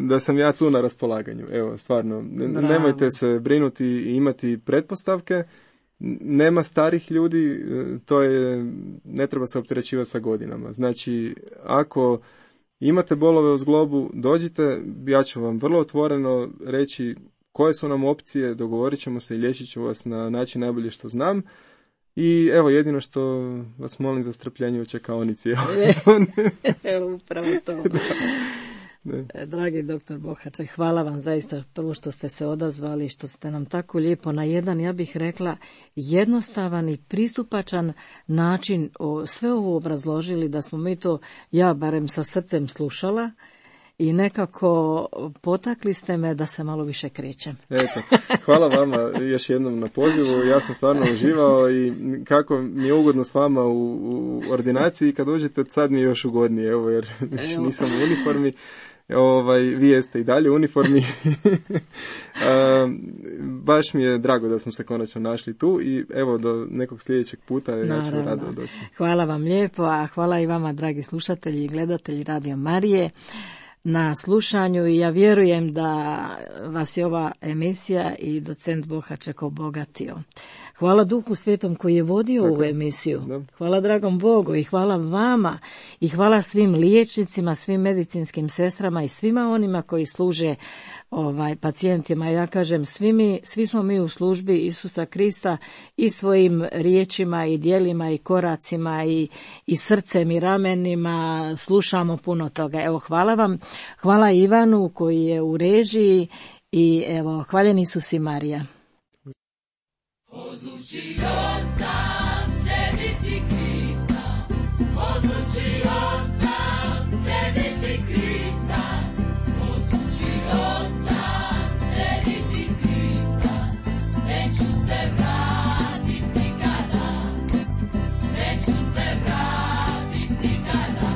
da sam ja tu na raspolaganju. Evo, stvarno, Bravo. nemojte se brinuti i imati pretpostavke. Nema starih ljudi, to je, ne treba se opterećivati sa godinama. Znači, ako imate bolove u zglobu, dođite, ja ću vam vrlo otvoreno reći koje su nam opcije, dogovorit ćemo se i liječit ću vas na način najbolje što znam. I evo, jedino što vas molim za strpljenje u čekaonici. Evo, upravo to. Ne. Dragi doktor Bohaček, hvala vam zaista prvo što ste se odazvali, što ste nam tako lijepo na jedan, ja bih rekla, jednostavan i pristupačan način o, sve ovo obrazložili, da smo mi to, ja barem sa srcem slušala i nekako potakli ste me da se malo više krećem. Eto, hvala vama još jednom na pozivu, ja sam stvarno uživao i kako mi je ugodno s vama u, u ordinaciji, kad uđete sad mi je još ugodnije, evo, jer više nisam u uniformi. Ovaj, vi jeste i dalje u uniformi. A, baš mi je drago da smo se konačno našli tu i evo do nekog sljedećeg puta ja ću rado doći. Hvala vam lijepo, a hvala i vama dragi slušatelji i gledatelji Radio Marije na slušanju i ja vjerujem da vas je ova emisija i docent Bohaček obogatio. Hvala Duhu Svetom koji je vodio Tako. ovu emisiju. Da. Hvala dragom Bogu i hvala vama i hvala svim liječnicima, svim medicinskim sestrama i svima onima koji služe ovaj pacijentima. Ja kažem, svi, mi, svi smo mi u službi Isusa Krista i svojim riječima i djelima i koracima i, i srcem i ramenima slušamo puno toga. Evo, hvala vam. Hvala Ivanu koji je u režiji i evo, hvaljeni Isus i Marija. Odlučio sam slijediti Krista, odlučio sam slijediti Krista, odlučio sam slijediti Krista, neću se vratiti nikada, neću se vratiti nikada,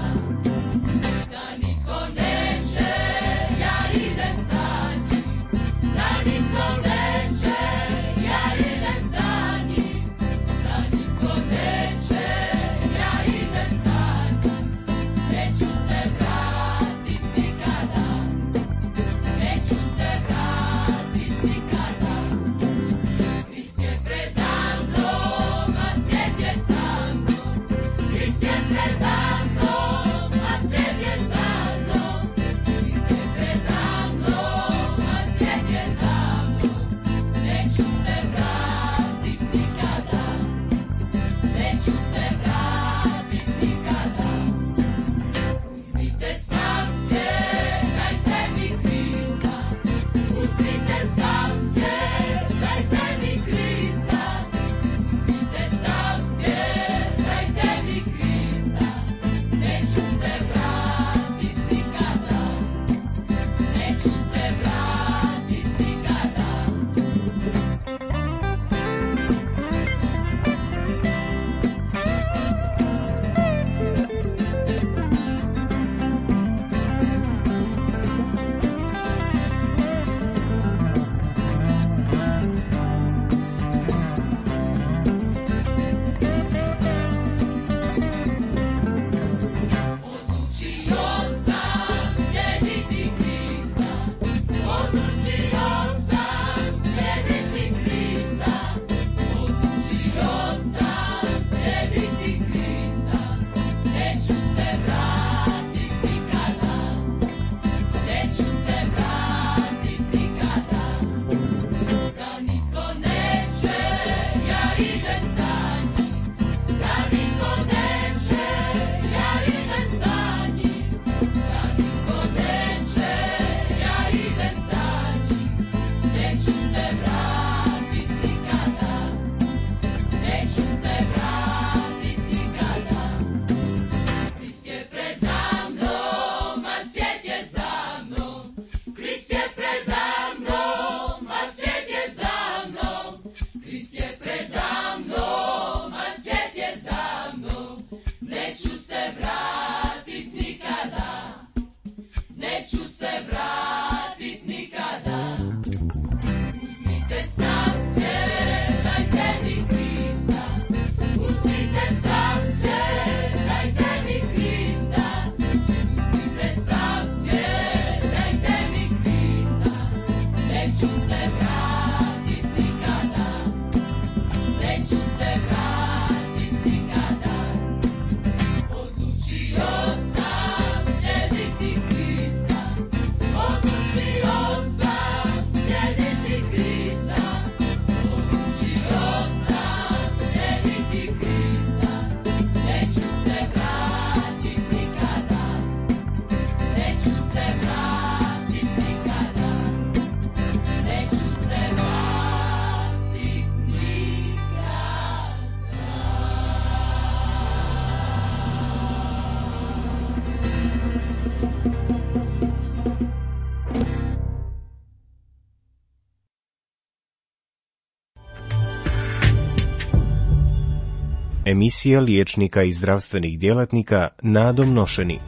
da nitko neće, ja idem za njim, da nitko neće, ja idem za njim, da nitko neće, ja idem za njim. vratit nikada, neću se vratit nikada. Uzmite sam svijet, dajte mi Krista. Uzmite sam svijet, dajte mi Krista. Uzmite sam svijet, dajte mi Krista. Neću se vratit nikada, neću se vratit nikada. Odlučio sam slijediti Krista, odlučio sam slijediti Krista, odlučio sam slijediti Krista. Neću se vratit nikada, neću se vratit nikada, neću se vratit Emisija liječnika i zdravstvenih djelatnika Nadom Nošeni.